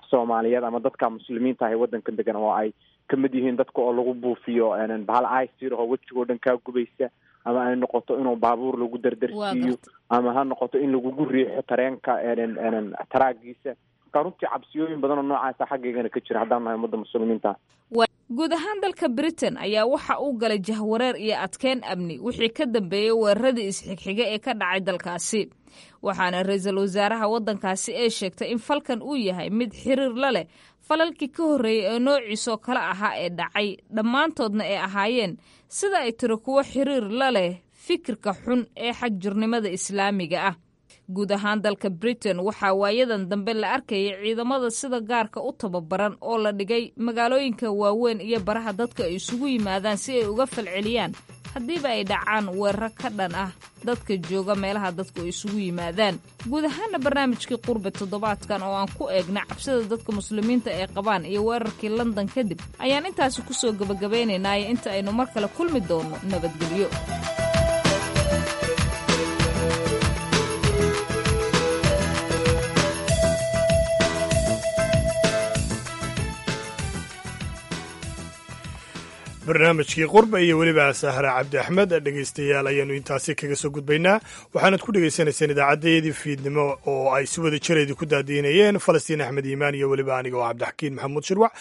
Soomaaliyeed ama dadka muslimiinta ah ee waddankan degan, oo ay kamid yihiin dadka oo lagu buufiyo bahal icir oo wejigoo dhan kaa gubaysa, ama ay noqoto inuu baabuur lagu dardarsiiyo, ama ha noqoto in lagugu riixo tareenka taraagiisa. Marka runtii cabsiyooyin badan oo noocaasa xaggaygana ka jira haddaan nahay ummadda muslimiinta. Guud ahaan dalka Britain ayaa waxa uu galay jahwareer iyo adkeyn amni wixii ka dambeeyey weeraradii isxigxiga ee ka dhacay dalkaasi, waxaana ra-iisul wasaaraha waddankaasi ee sheegtay in falkan uu yahay mid xiriir la leh falalkii ka horreeyey ee noociisoo kale ahaa ee dhacay, dhammaantoodna ay ahaayeen sida ay tiri kuwo xiriir la leh fikirka xun ee xagjirnimada islaamiga ah. Guud ahaan dalka Britain waxaa waayadan dambe la arkayay ciidamada sida gaarka u tababaran oo la dhigay magaalooyinka waaweyn iyo baraha dadka ay isugu yimaadaan si ay uga falceliyaan haddiiba ay dhacaan weeraro ka dhan ah dadka jooga meelaha dadku ay isugu yimaadaan. Guud ahaana barnaamijkii Qurbe toddobaadkan oo aan ku eegna cabsida dadka muslimiinta ay qabaan iyo weerarkii London kadib ayaan intaasi kusoo gabagabaynaynaayo. Inta aynu mar kale kulmi doonno, nabadgelyo. Barnaamijkii Qurba iyo weliba Sahra Cabdi Axmed, dhegaystayaal, ayaanu intaasi kaga soo gudbaynaa. Waxaanad ku dhegaysanayseen idaacaddayadii fiidnimo oo ay si wada jireedi ku daadiinayeen Falastiin Axmed Iimaan iyo weliba aniga oo Cabdixakiin Maxamuud Shirwac.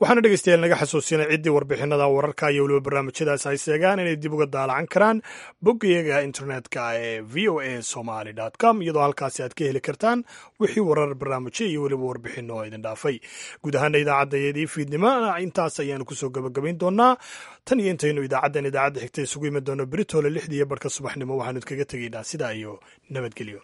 Waxaana dhegaystayaal naga xasuusinay ciddii warbixinada, wararka iyo weliba barnaamijyadaas ay seegaan inay dib uga daalacan karaan boggayaga internetka ee V O A Somali com, iyadoo halkaasi aad ka heli kartaan wixii warar, barnaamijyo iyo weliba warbixino oo idin dhaafay. Guud ahaana idaacaddayadii fiidnimo intaas ayaanu kusoo gabagabayn doonaa. Tan iyo intaynu idaacaddan idaacadda xigta isugu iman doono beritole lixdii iyo barhka subaxnimo, waxaanu idkaga tegaynaa sidaa iyo nabadgelyo.